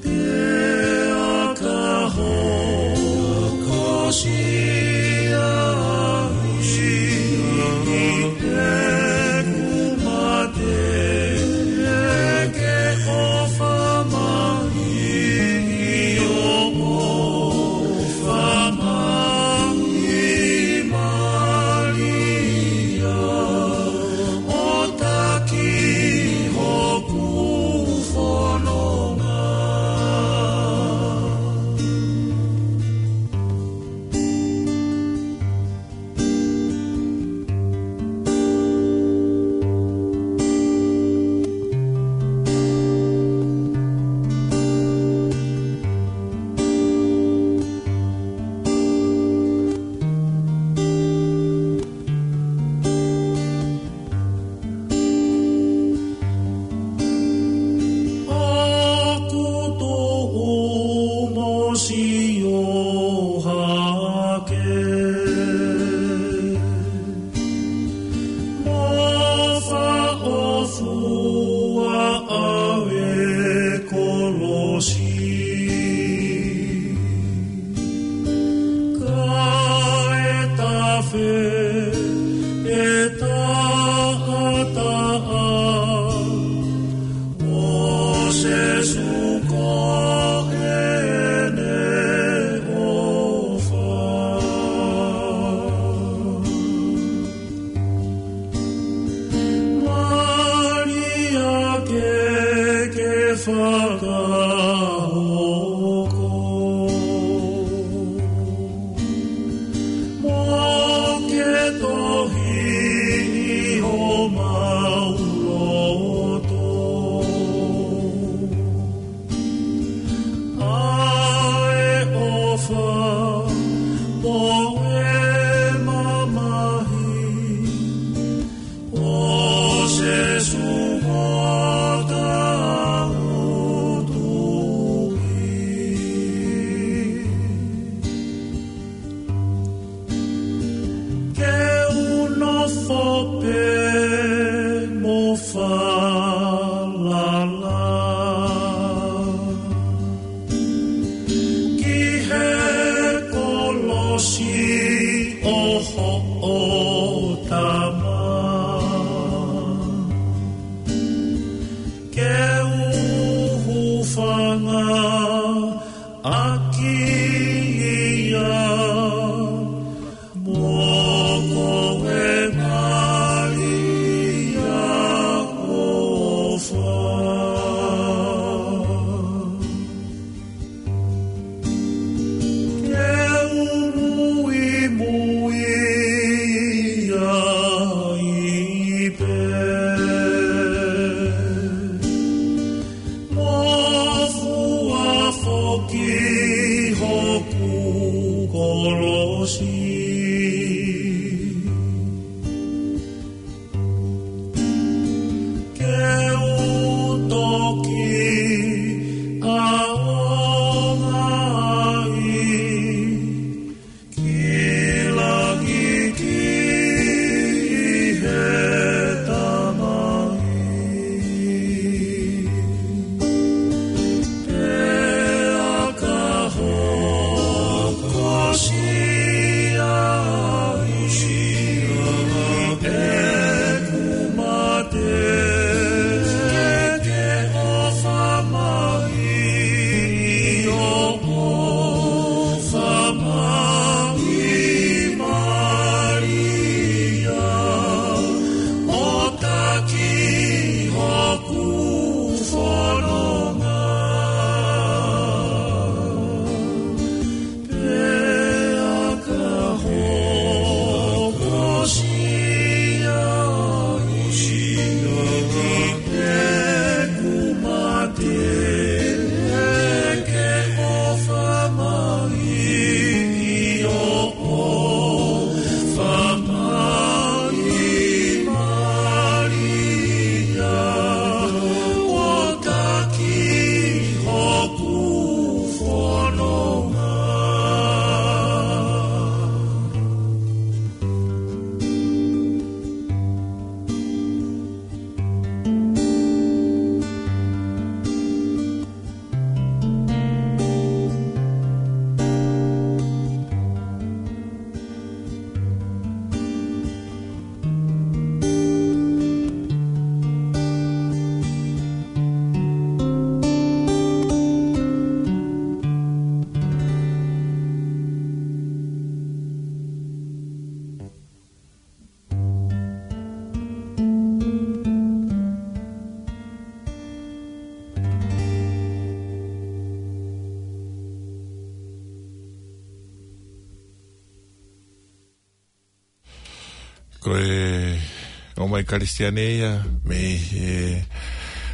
Pea ka hoko siʻi ʻaho ʻi heʻeku mate, ke ʻofa mai ʻi hoʻo ʻofa mai Malia, ʻo taki hoku fononga. ʻOku tuʻu mo sio hake, mo faʻofua ʻa e kolosi. Kae tafe ʻAki ia, mo ko e Malia ʻofa. Ke u muimui ai pē. Mo fua foki hoku kolosi. Ke u toki ʻaonga ai ki langi ki he Tamai. Pea ka hokosia ai ʻeku mate, ke ʻofa mai ʻi hoʻo ʻofa mai Malia, ʻo taki hoku fononga. Pea ka hokosia ai ʻeku mate, ke ʻofa mai ʻi hoʻo ʻofa mai Malia, ʻo taki hoku fononga. Ko e ʻomai Kalisitiane ia mei he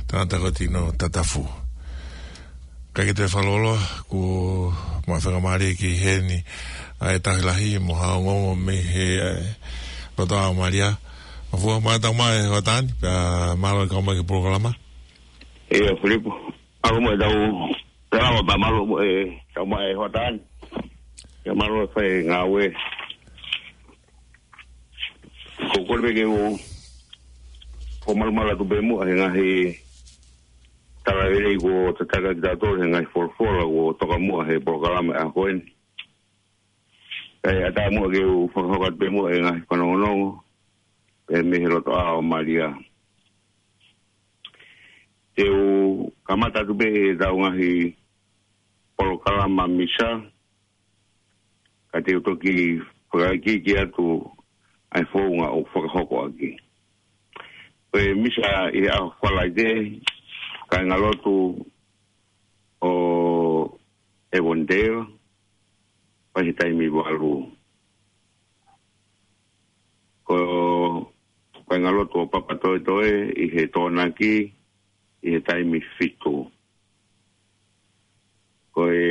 tangata ko Tino Tatafu. Ka ke toe fakaloloa, kuo ma fakamālō ki heni ʻa e Tauhi Lahi mo ha ongoongo mei he, ʻa e, Lotoʻā ʻo Malia. Mafua mai, tau mai hoʻatā ni, pea mālō e kau mai ki he polokalama. ʻIo, Filipo. Mālō mo e tau, tau mai, mālō mo e tau mai hoʻatā ni. ʻIo, mālō e fai ngāue. Ko e kole pē ke u, ko e malumalu atu pē muʻa he ngaahi tala lelei kuo tataki kitautolu he ngaahi folofola kuo toka muʻa he polokalama ʻa ko eni. Kae ʻatā muʻa ke u fakahoko atu pē muʻa e ngaahi fanongonongo, pea mei he Lotoʻā ʻo Malia. Te u kamata atu pē ʻetau ngaahi polokalama misa, ka te u toki fakaikiiki atu ʻa e founga ʻoku fakahoko ʻaki. Ko e misa ʻi he ʻaho Falaite, kāingalotu ʻo Avondale, pea ʻi he taimi valu. Ko e kāingalotu ʻo Papatoetoe ʻi he Tokonaki, ʻi he taimi fitu. Ko e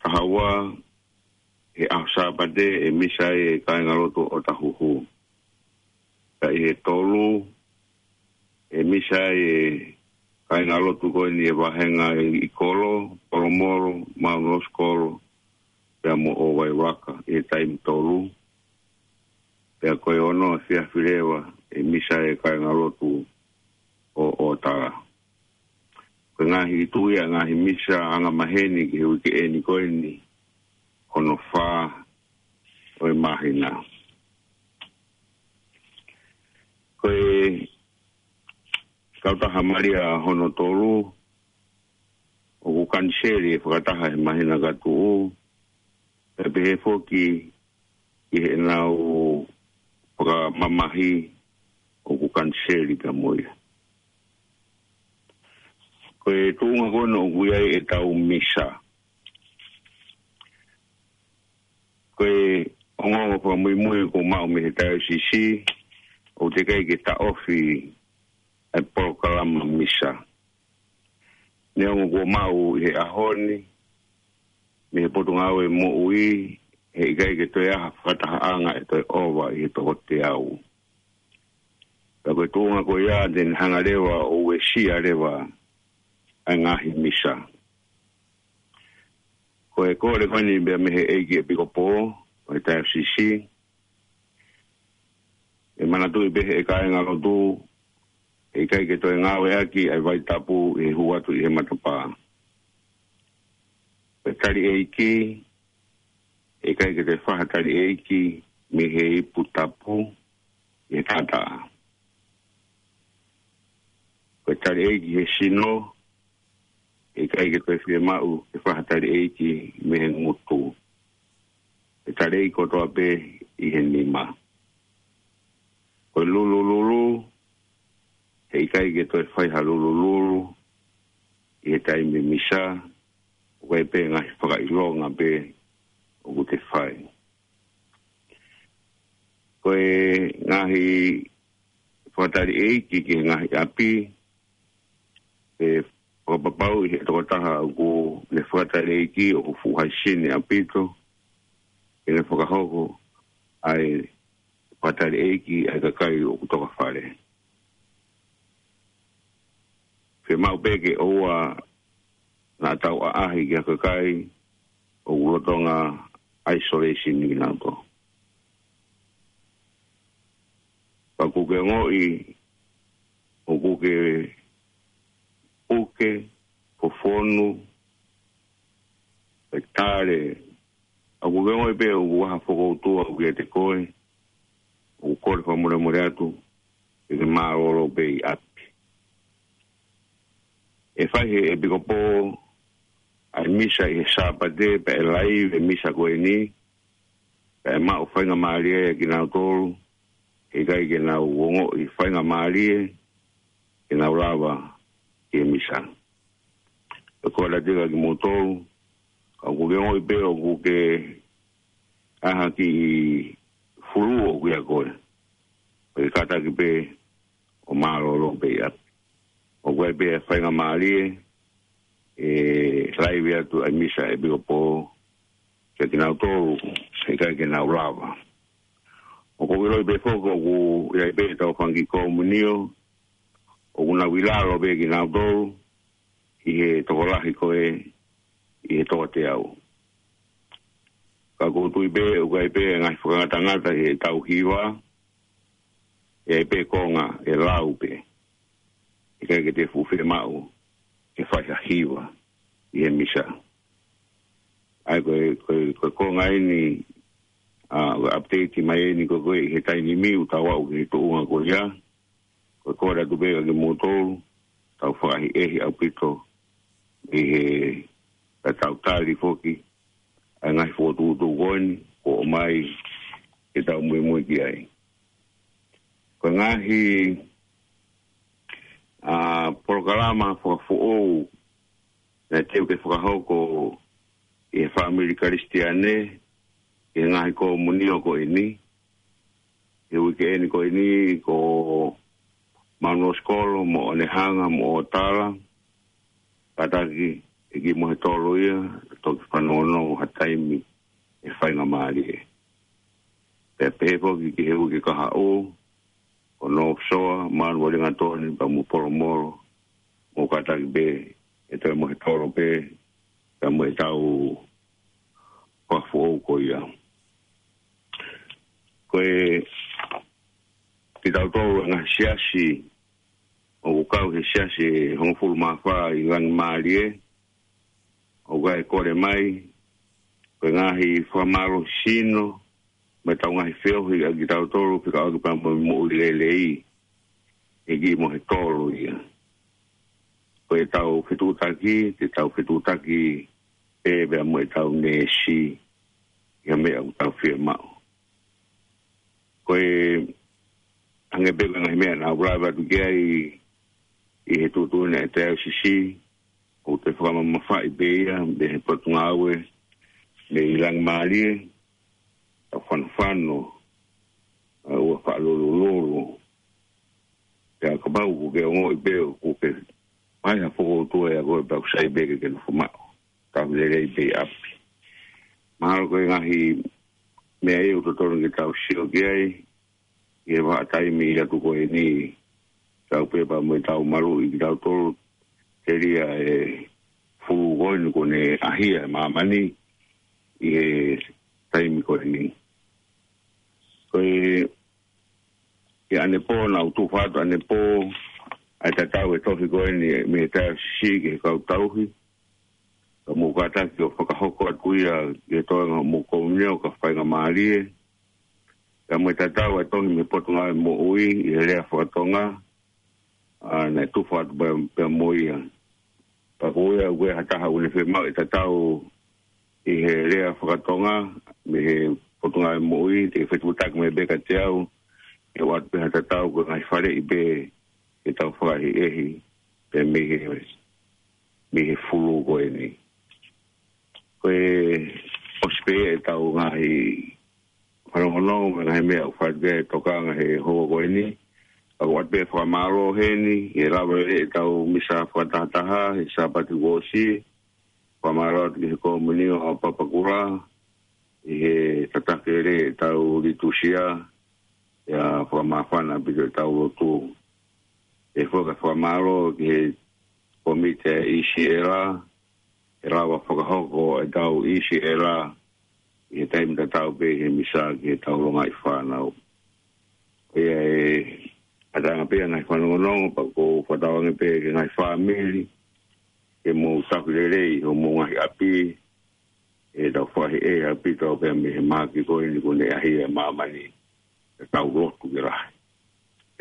taha ua, he ʻaho Sāpate, ʻe misa ai e kāingalotu ʻo Tahuhu. Ka ʻi he tolu, ʻe misa ai e kāingalotu ko eni e vāhenga ʻi Kolo, Polomolo, Mount Roskill, pea mo ʻOvaivaka, ʻi he taimi tolu. Pea ko e ono efiafi leva, ʻe misa ai e kāingalotu ʻo ʻOtala. Ko e ngaahi ʻi tuʻi ʻa e ngaahi misa angamaheni ki he uike eni ko eni, hono fā ʻo e māhina. Ko e kautaha Malia hono tolu, ʻoku kaniseli e fakataha he māhina ka tuʻu, pea pehē foki ki heʻenau fakamamahi ʻoku kaniseli pea mo ia. Ko e tuʻunga ko ena ʻoku ʻi ai ʻetau misa. Ko e ongoongo fakamuimui kuo maʻu mei he taiosisi, ʻoku teʻeki ai ke taʻofi ʻa e polokalama misa. Neongo kuo maʻu ʻi he ʻaho ni mei he Potungāue Moʻui, heʻikai ke toe ʻi ai ha fakatahaʻanga ʻe toe ʻova ʻi he toko teau. Ka ko e tuʻunga ko ia te ne hanga leva ʻo uesia leva ʻa e ngaahi misa. Ko e kole ko eni pea mei he ʻEiki ʻEpikopō ʻo e taiosisi, ʻe manatuʻi pē ʻe he kāingalotu, heʻikai ke toe ngāueʻaki ʻa e vai tapu ʻi he hū atu ʻi he matapā. Ko e tali ʻeiki, heʻikai ke toe fai ha tali ʻeiki mei he ipu tapu ʻi he taʻataʻa. Ko e tali ʻeiki he sino, heʻikai ke toe fiemaʻu ke fai ha tali ʻeiki mei he ngutu. Ko e tali ʻeiki kotoa pē ʻi he nima. Ko e lulululu, heʻikai ke toe fai ha lulululu ʻi he taimi misa, ʻoku ʻi ai pē ngaahi fakaʻilonga pē ʻoku te fai. Ko e ngaahi fakatali ʻeiki ki he ngaahi ʻapi, ʻe fakapapauʻi ʻe he tokotaha ʻoku ne fakatali ʻeiki ʻoku fuʻu haʻisini ʻaupito, ke ne fakahoko ʻa e fakatali ʻeiki ʻa e kakai ʻoku toka fale. Fiemaʻu pē ke ʻoua naʻa tau ʻaʻahi ki ha kakai ʻoku lolotonga isolation kinautolu. Pea ʻoku ke ongoʻi ʻoku ke puke, fofonu, ʻe tale, ʻoku ke ongoʻi pē ʻoku ʻi ai ha fokoutua ʻoku ʻiate koe, ʻoku kole fakamolemole atu, ke ke mālōlō pē ʻi ʻapi. ʻE fai ʻe he ʻEpikopō ʻa e misa ʻi he Sāpate, pea ʻe laivi e misa ko eni, pea ʻe maʻu faingamālie ʻa kinautolu heʻikai ke nau ongoʻi faingamālie ke nau lava ki he misa. Pea ko e lea atu kia kimoutolu, ka ʻoku ke ongoʻi pē ʻoku ke ʻaʻahi ki he flu ʻoku ʻiate koe, pea ke kātaki pē ʻo mālōlō pē ʻi ʻapi. ʻOku ʻi ai pē faingamālie ʻe laivi atu ʻa e misa ʻa e ʻEpikopō kia kinautolu heʻikai ke nau lava. ʻOku ou ʻiloʻi pē foki ʻoku ʻi ai pē ʻetau fanga kiʻi komunio ʻoku nau ʻi lalo pē kinautolu ʻi he tokolahi ko ē ʻi he toko teau. Ka ʻoku ou tui pē ʻoku ʻi ai pē ngaahi fakangatangata ʻi heʻetau hiva, ʻi ai pē konga ʻe lau pē, ʻikai ke te fuʻu fiemaʻu ke fai ha hiva ʻi he misa. ʻA ia ko e, ko e, ko e konga eni, ʻa, ko e update mai eni ko ē ʻi he taimi ni ʻoku tau aʻu ki he tuʻunga ko ia. Ko e kole atu pē kia kimoutolu, tau fakaʻehiʻehi ʻaupito ʻi he, ka tau tali foki ʻa e ngaahi fokotuʻutuʻu ko eni kuo ʻomai ke tau muimui ki ai. Ko e ngaahi, ʻa, polokalama fakafoʻou naʻe teu ke fakahoko ʻe he fāmili Kalisitiane ʻi he ngaahi komunio ko eni, he uike eni ko eni, ko Manuosikolo mo ʻOnehanga mo ʻOtala, kātaki ʻe kiʻi Mohetolo ia, toki fanongonongo ha taimi ʻe faingamālie. Pea pehē foki ki he uike kahaʻu, ko North Shore, Manualingatoni, pea mo Polomolo, mou kātaki pē ʻe toe Mohetolo pē, pea mo ʻetau fakafoʻou ko ia. Ko e, kitautolu e ngaahi siasi, ʻoku kau he siasi ʻe hongofulu mā fā ʻi Langimālie, ʻoku ʻi ai e kole mai, ko e ngaahi fakamālohi sino, mo ʻetau ngaahi feohi ʻa kitautolu, fekauʻaki pea mo e moʻui lelei, ʻe kiʻi Mohetolo ia. ko ʻetau fetuʻutaki, te tau fetuʻutaki pē pea mo ʻetau neesi ʻi he meʻa ʻoku tau fiemaʻu. Ko e hangē pē ko e ngaahi meʻa naʻa ku lave atu ki ai ʻi he tuʻutuʻuni ʻa e Taiosisi, ʻoku te fakamamafaʻi pē ia mei he Potungāue mei Langimālie, ʻa e fanofano, ʻa e ʻoua fakalolololo. Pea kapau ʻoku ke ongoʻi pē ʻoku ke ʻai ha fokoutua ʻia koe pea ʻoku sai pē ke ke nofo maʻu, tau lelei pē ʻi ʻapi. Mahalo ko e ngaahi meʻa ia ʻoku totonu ke tau sio ki ai, ʻi he vahaʻa taimi ʻi atu ko eni, tau pē pea mo ʻetau maluʻi kitautolu, telia e fulū ko eni kuo ne ʻahia ʻe māmani ʻi he taimi ko eni. Ko e, ʻi ʻanepō, naʻa ku tufa atu ʻanepō ʻa e tatau e tohi ko eni mei he Taiosisi ki he kau tauhi, ka mou kātaki ʻo fakahoko atu ia ki he toenga hoʻomou komiunitī ʻo ka faingamālie. Ka mou tatau ʻa e tohi mei he Potungāue Moʻui ʻi he lea fakatonga, ʻa, naʻe tufa atu pea, pea mo ia. Pea ko ia ʻoku ʻi ai ha taha ʻoku ne fiemaʻu e tatau ʻi he lea fakatonga mei he Potungāue Moʻui, te ke fetuʻutaki mai pē kiate au, ʻe ʻoatu pē ha tatau ko e ngaahi faleʻi pē ke tau fakaʻehiʻehi pē mei he, mei he fulū ko eni. Ko e ʻosi pē ʻetau ngaahi fanongonongo mo e ngaahi meʻa ʻoku fai ki ai e tokanga he houa ko eni. Ka ʻoku ʻoatu pē fakamālō heni, he lava lelei ʻetau misa fakatahataha he Sāpate kuo ʻosi. Fakamālō atu ki he komiunitī ʻo Papakura, ʻi he tataki lelei ʻetau litūsia, pea fakamāfana ʻaupito ʻetau lotu. ʻE foki e fakamālō ki he kōmiti ʻa e ʻIsiela, ʻe lava fakahoko ʻetau ʻIsiela ʻi he taimi tatau pē he misa ki heʻetau longaʻi fānau. Ko ia e ʻataʻatā pē ʻa e ngaahi fanongonongo, pea ʻoku ou fakatauange pē ki he ngaahi fāmili, ke mou taki lelei hoʻomou ngaahi ʻapi, ʻe tau fakaʻehiʻehi ʻaupito pē mei he mahaki ko eni kuo ne ʻahia ʻe māmani, ʻe tau lotu ke lahi,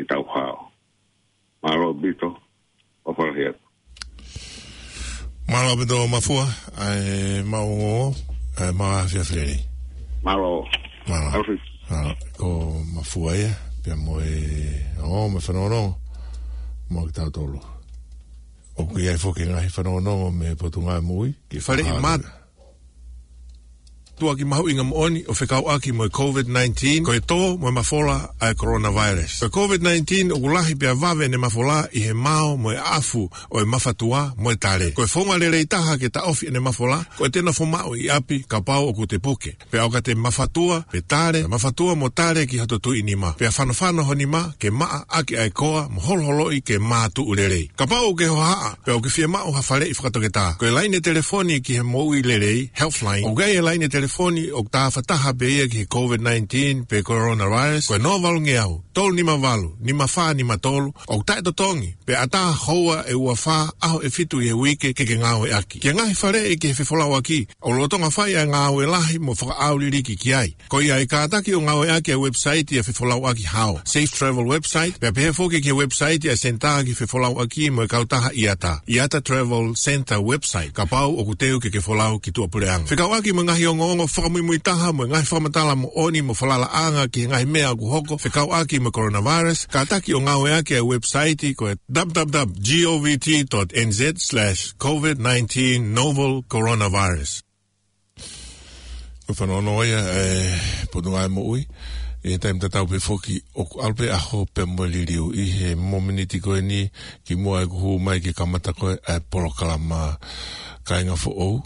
ʻe tau hao. Mālō ʻaupito, ʻofa lahi atu. Mālō ʻaupito Mafua, ʻa e maʻu ongoongo, ʻa e maʻu afiafi lelei. Mālō. Mālō. Mālō. Mālō. Ko Mafua ia, pea mo e, ʻo, mo e fanongonongo, mo kitautolu. ʻOku ʻi ai foki e ngaahi fanongonongo mei he Potungāue Moʻui. Ki he faleʻi mā- tuʻaki mahuʻinga moʻoni ʻo fekauʻaki mo e COVID nineteen, ko e tō mo e mafola ʻa e coronavirus. Ko e COVID nineteen ʻoku lahi pea vave ʻene mafola ʻi he mao mo e ʻafu ʻo e mafatua mo e tale. Ko e founga lelei taha ke taʻofi ʻene mafola, ko ʻete nofo maʻu ʻi ʻapi kapau ʻoku te puke. Pea ʻo ka te mafatua, pe tale, mafatua mo tale ki hoto tuʻi nima. Pea fanofano ho nima ke maʻa ʻaki ʻa e koa mo holoholoʻi ke mātuʻu lelei. Kapau ʻoku ke hohaʻa, pea ʻoku ke fiemaʻu ha faleʻi fakatoketā, ko e laine telefoni ki he moʻui lelei, Healthline. ʻOku ʻi ai e laine telefoni ʻoku tāfataha pē ia ki he COVID nineteen pe coronavirus, ko e noa valu ngeau, tolu nima valu, nima fā nima tolu, ʻoku taʻetotongi, pea ʻatā houa ʻe ua fā, ʻaho ʻe fitu ʻi he uike ke ke ngāueʻaki. Ki he ngaahi faleʻi ki he fefolauʻaki, ʻoku lolotonga fai ʻa e ngāue lahi mo fakaʻauliliki ki ai. Ko ia ʻe kātaki ʻo ngāueʻaki ʻa e website ʻa e fefolauʻaki hao, Safe Travel website, pea pehē foki ki he website ʻa e Senitā ki he Fefolauʻaki mo e kautaha IATA, IATA Travel Centre website, kapau ʻoku teu ke ke folau ki tuʻapuleʻanga. Fekauʻaki mo e ngaahi ongoongo fakamuimui taha mo e ngaahi fakamatala moʻoni mo falalaʻanga ki he ngaahi meʻa ʻoku hoko fekauʻaki mo e coronavirus, kātaki ʻo ngāueʻaki ʻa e website ko e www.govt.nz/covid nineteen novel coronavirus. Ko e fanongonongo ia ʻa e Potungāue Moʻui, ʻi he taimi tatau pē foki ʻoku ʻalu pē ʻaho pea mo e liliu. ʻI he momeniti ko eni kimuʻa ʻeku hū mai ke kamata ko ē ʻa e polokalama Kāinga Foʻou,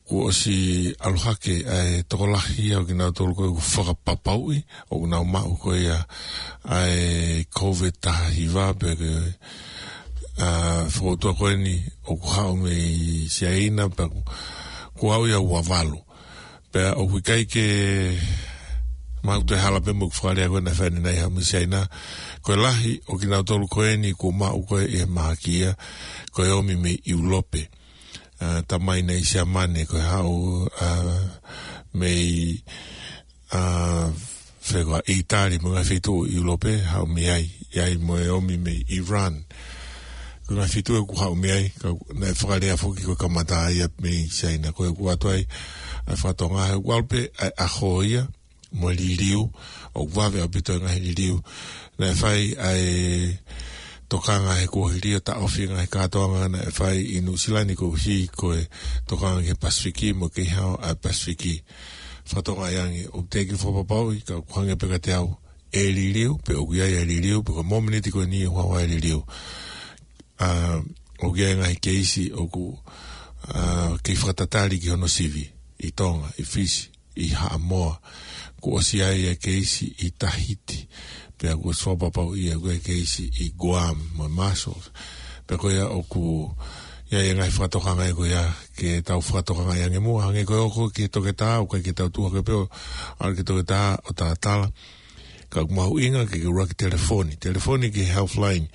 kuo ʻosi ʻalu hake ʻa e tokolahi ia ʻo kinautolu ko ē ʻoku fakapapauʻi ʻoku nau maʻu ko ia ʻa e COVID taha hiva pea ko e, ʻa, fokoutua ko eni ʻoku haʻu mei Siaina pea ʻoku, ʻoku haʻu ia ua valu. Pea ʻoku ʻikai ke maʻu toe hala pē mo ʻeku fakalea ko ē naʻe fai ʻanenai haʻu mei Siaina. Ko e lahi ʻo kinautolu ko eni kuo maʻu ko ē ʻi he mahaki ia, ko e ōmi mei ʻIulope. ʻA, tamai naʻe ʻi Siamane, ko e haʻu, ʻa, mei, ʻa, fē koā, ʻItali mo e ngaahi feituʻu ʻi ʻIulope, haʻu mei ai, ʻi ai mo e ōmi mei Iran. Ngaahi fitu ʻoku haʻu mei ai, ka naʻe fakalea foki ko e kamata ia mei Siaina. Ko ʻeku ʻoatu ai ʻa e fakatonga, he ʻoku ʻalu pē ʻa e ʻaho ia mo e liliu, ʻoku vave ʻaupito e ngaahi liliu. Naʻe fai ʻa e tokanga he kuohili ʻo taʻofi e ngaahi kātoanga naʻe fai ʻi Nuʻusila ni koeʻuhi ko e tokanga ki he Pasifiki mo e kei hao ʻa e Pasifiki. Fakatonga ia ange, ʻoku teʻeki fakapapauʻi, ka ʻoku hangē pē kiate au ʻe liliu, pe ʻoku ʻi ai e liliu, pe ko e mōmeniti ko eni ʻoku haʻu ai e liliu. ʻA, ʻoku ʻi ai e ngaahi keisi ʻoku, ʻa, kei fakatatali ki hono sivi ʻi Tonga, ʻi Fisi, ʻi Haʻamoa. Kuo ʻosi ʻi ai e keisi ʻi Tahiti, pea kuo ʻosi fakapapauʻi ʻoku ʻi ai e keisi ʻi Guam mo Marshall. Pea ko ia ʻoku ʻi ai e ngaahi fakatokanga ia ko ia ke tau fakatokanga ia ange muʻa, hangē ko e hoko ki he toketā, ʻoku ʻikai ke tau tuʻu hake pē ʻo ʻalu ki he toketā ʻo talatala. Ka ʻoku mahuʻinga ke ke ʻuluaki telefoni. Telefoni ki he Healthline.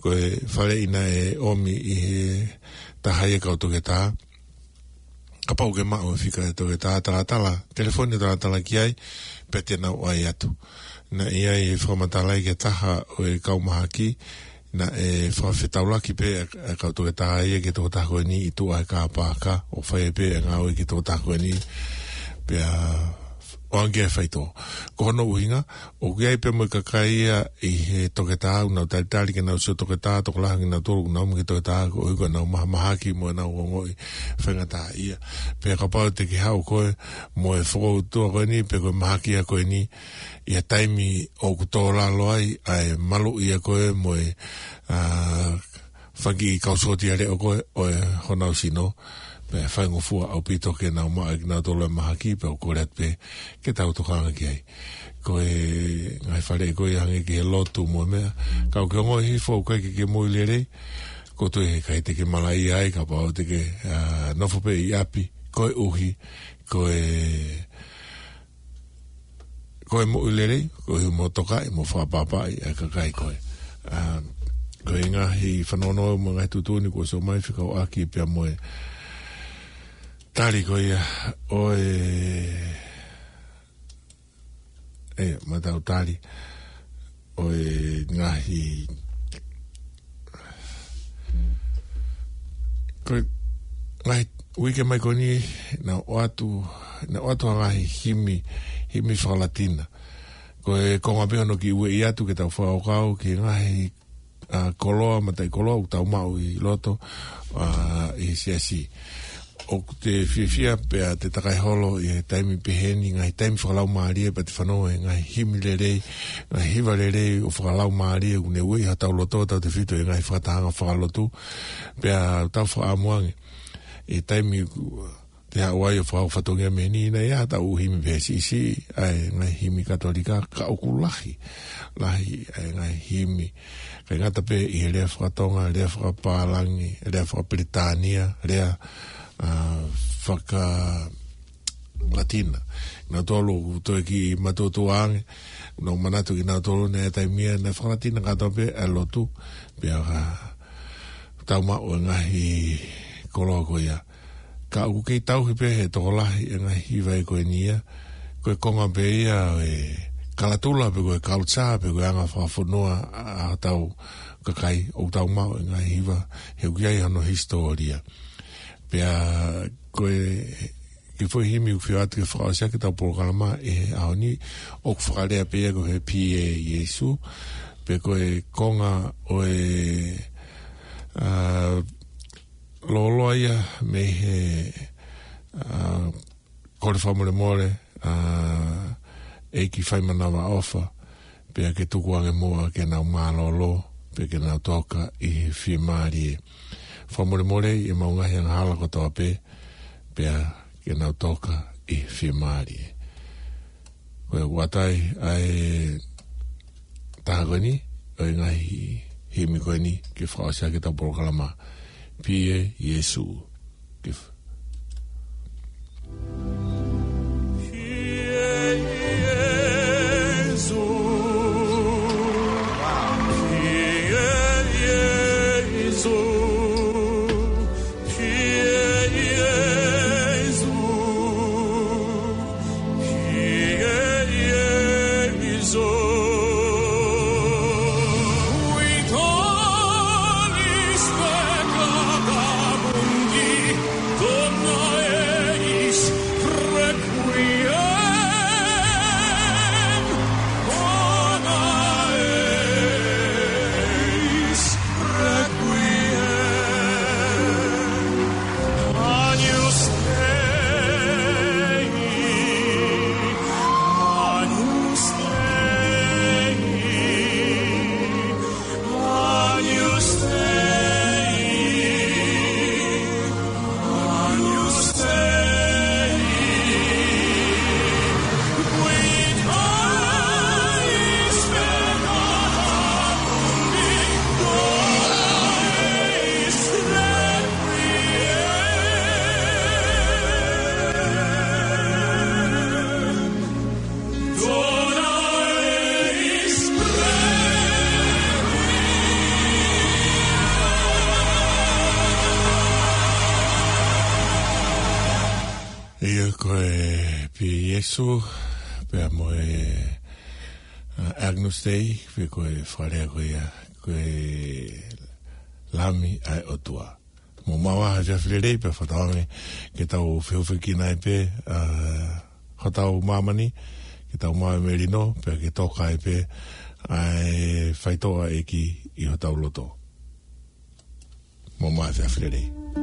Ko e faleʻi naʻe ʻomi ʻe he taha ia kau toketā. Kapau ʻoku ke maʻu e fika ʻa e toketā, talatala, telefoni talatala ki ai, pea te nau ʻai atu. Naʻe ʻi ai e fakamatala ia ki he taha ʻo e kau mahaki, naʻe fakafetaulaki pē ʻa e kau toketā ia ki he tokotaha ko eni ʻi tuʻa he kāpaka, ʻo fai pē ʻa e ngāue ki he tokotaha ko eni, pea ʻoange e faitoʻo. Ko hono ʻuhinga, ʻoku ʻi ai pē mo e kakai ia ʻi he toketā, ʻoku nau talitali ke nau sio toketā, tokolahi ʻoku nau tolu, ʻoku nau ō mai ki he toketā, koeʻuhi ko ʻenau mahamahaki mo ʻenau ongoʻi faingataʻaʻia. Pea kapau te ke haʻu koe mo e fokoutua ko eni, pe ko e mahaki ia ko eni, ʻi he taimi ʻoku tō lalo ai ʻa e maluʻi ʻa koe mo e, ʻa, fanga kiʻi kau sōtia leʻo ko ē ʻo e honau sino, pea faingofua ʻaupito ke nau maʻu ʻe kinautolu e mahaki, pea ʻoku kole atu pē ke tau tokanga ki ai. Ko e ngaahi faleʻi ko ia hangē ki he lotu mo e meʻa, ka ʻoku ke ongoʻi hifo ʻoku ʻikai ke ke moʻui lelei, ʻoku ou tui he ʻikai te ke malaʻia ai kapau te ke, ʻa, nofo pē ʻi ʻapi, koeʻuhi ko e ko e moʻui lelei, koeʻuhi mo tokaʻi, mo fakaʻapaʻapaʻi ʻa e kakai ko ē. ʻA, ko e ngaahi fanongo mo e ngaahi tuʻutuʻuni kuo ʻosi ʻomai fekauʻaki pea mo e tali ko ia ʻo e, ʻe, matau tali ʻo e ngaahi, ko e ngaahi uike mai ko eni, naʻe ʻoatu, naʻe ʻoatu ha ngaahi himi, himi fakalatina. Ko e konga pē hono kiʻi ueʻi atu ke tau fakakaukau ki he ngaahi, ʻa, koloa, mataʻikoloa ʻoku tau maʻu ʻi loto, ʻa, ʻi he siasi. ʻOku te fiefia pea te takai holo ʻi he taimi pehē ni, ngaahi taimi fakalaumālie, pea te fanongo he ngaahi himi lelei, ngaahi hiva lelei ʻo fakalaumālie, ʻoku ne ueʻi hotau loto, tautefito he ngaahi fakatahaʻanga fakalotu, pea tau fakaʻamu ange ʻi he taimi ʻoku te haʻu ai ʻo fakahoko fatongia mei heni, naʻe ʻi ai haʻatau himi pehē siʻisiʻi, ʻa e ngaahi himi Katolika, ka ʻoku lahi, lahi ʻa e ngaahi himi. ʻIkai ngata pē ʻi he lea fakatonga, lea fakapālangi, lea fakapilitānia, lea, ʻa, fakalatina. Nautolu ʻoku toe kiʻi matuʻotuʻa ange, naʻa ku manatu kinautolu naʻe taimi ia naʻe fakalatina kātoa pē ʻa e lotu, pea, ʻa, tau maʻu e ngaahi koloa ko ia. Ka ʻoku kei tauhi pē he tokolahi e ngaahi hiva ko eni ia, ko e konga pē ia ʻo e kalatula pe ko e culture pe ko e anga fakafonua ʻa hotau kakai, ʻoku tau maʻu e ngaahi hiva, he ʻoku ʻi ai hono hisitōlia. Pea ko e kiʻi foʻi himi ʻoku fie ʻoatu ke fakaʻosi ʻaki ʻetau polokalama ʻi he ʻaho ni, ʻoku fakalea pē ia ko e Pīa Iesu, pe ko e konga ʻo e, ʻa, lōloa ia mei he, ʻa, kole fakamolemole, ʻa, ʻEiki Faimanavaʻofa, pea ke tukuange muʻa ke nau mālōlō, pea ke nau toka ʻi he fiemālie. Fakamolemoleʻi ʻemau ngaahi angahala kotoa pē, pea ke nau toka ʻi he fiemālie. Ko ia ʻoku ʻoatu ai ʻa e taha ko eni ʻo e ngaahi himi ko eni ke fakaʻosi ʻaki ʻetau polokalama. Pīa Iesu. Ke f- Ko e pē ʻa Sīsū, pea mo e, ʻa, Agnus Dei, pe ko e fakalea ko ia, ko e Lami ʻa e ʻOtua. Mou maʻu ā ha efiafi lelei, pea fakatauange ke tau fehufekina ai pē, ʻa, hotau māmani, ke tau maʻu e melino, pea ke toka ai pē, ʻa e faitoʻo ʻa e ʻEiki ʻi hotau loto. Mou maʻu ā ha efiafi lelei.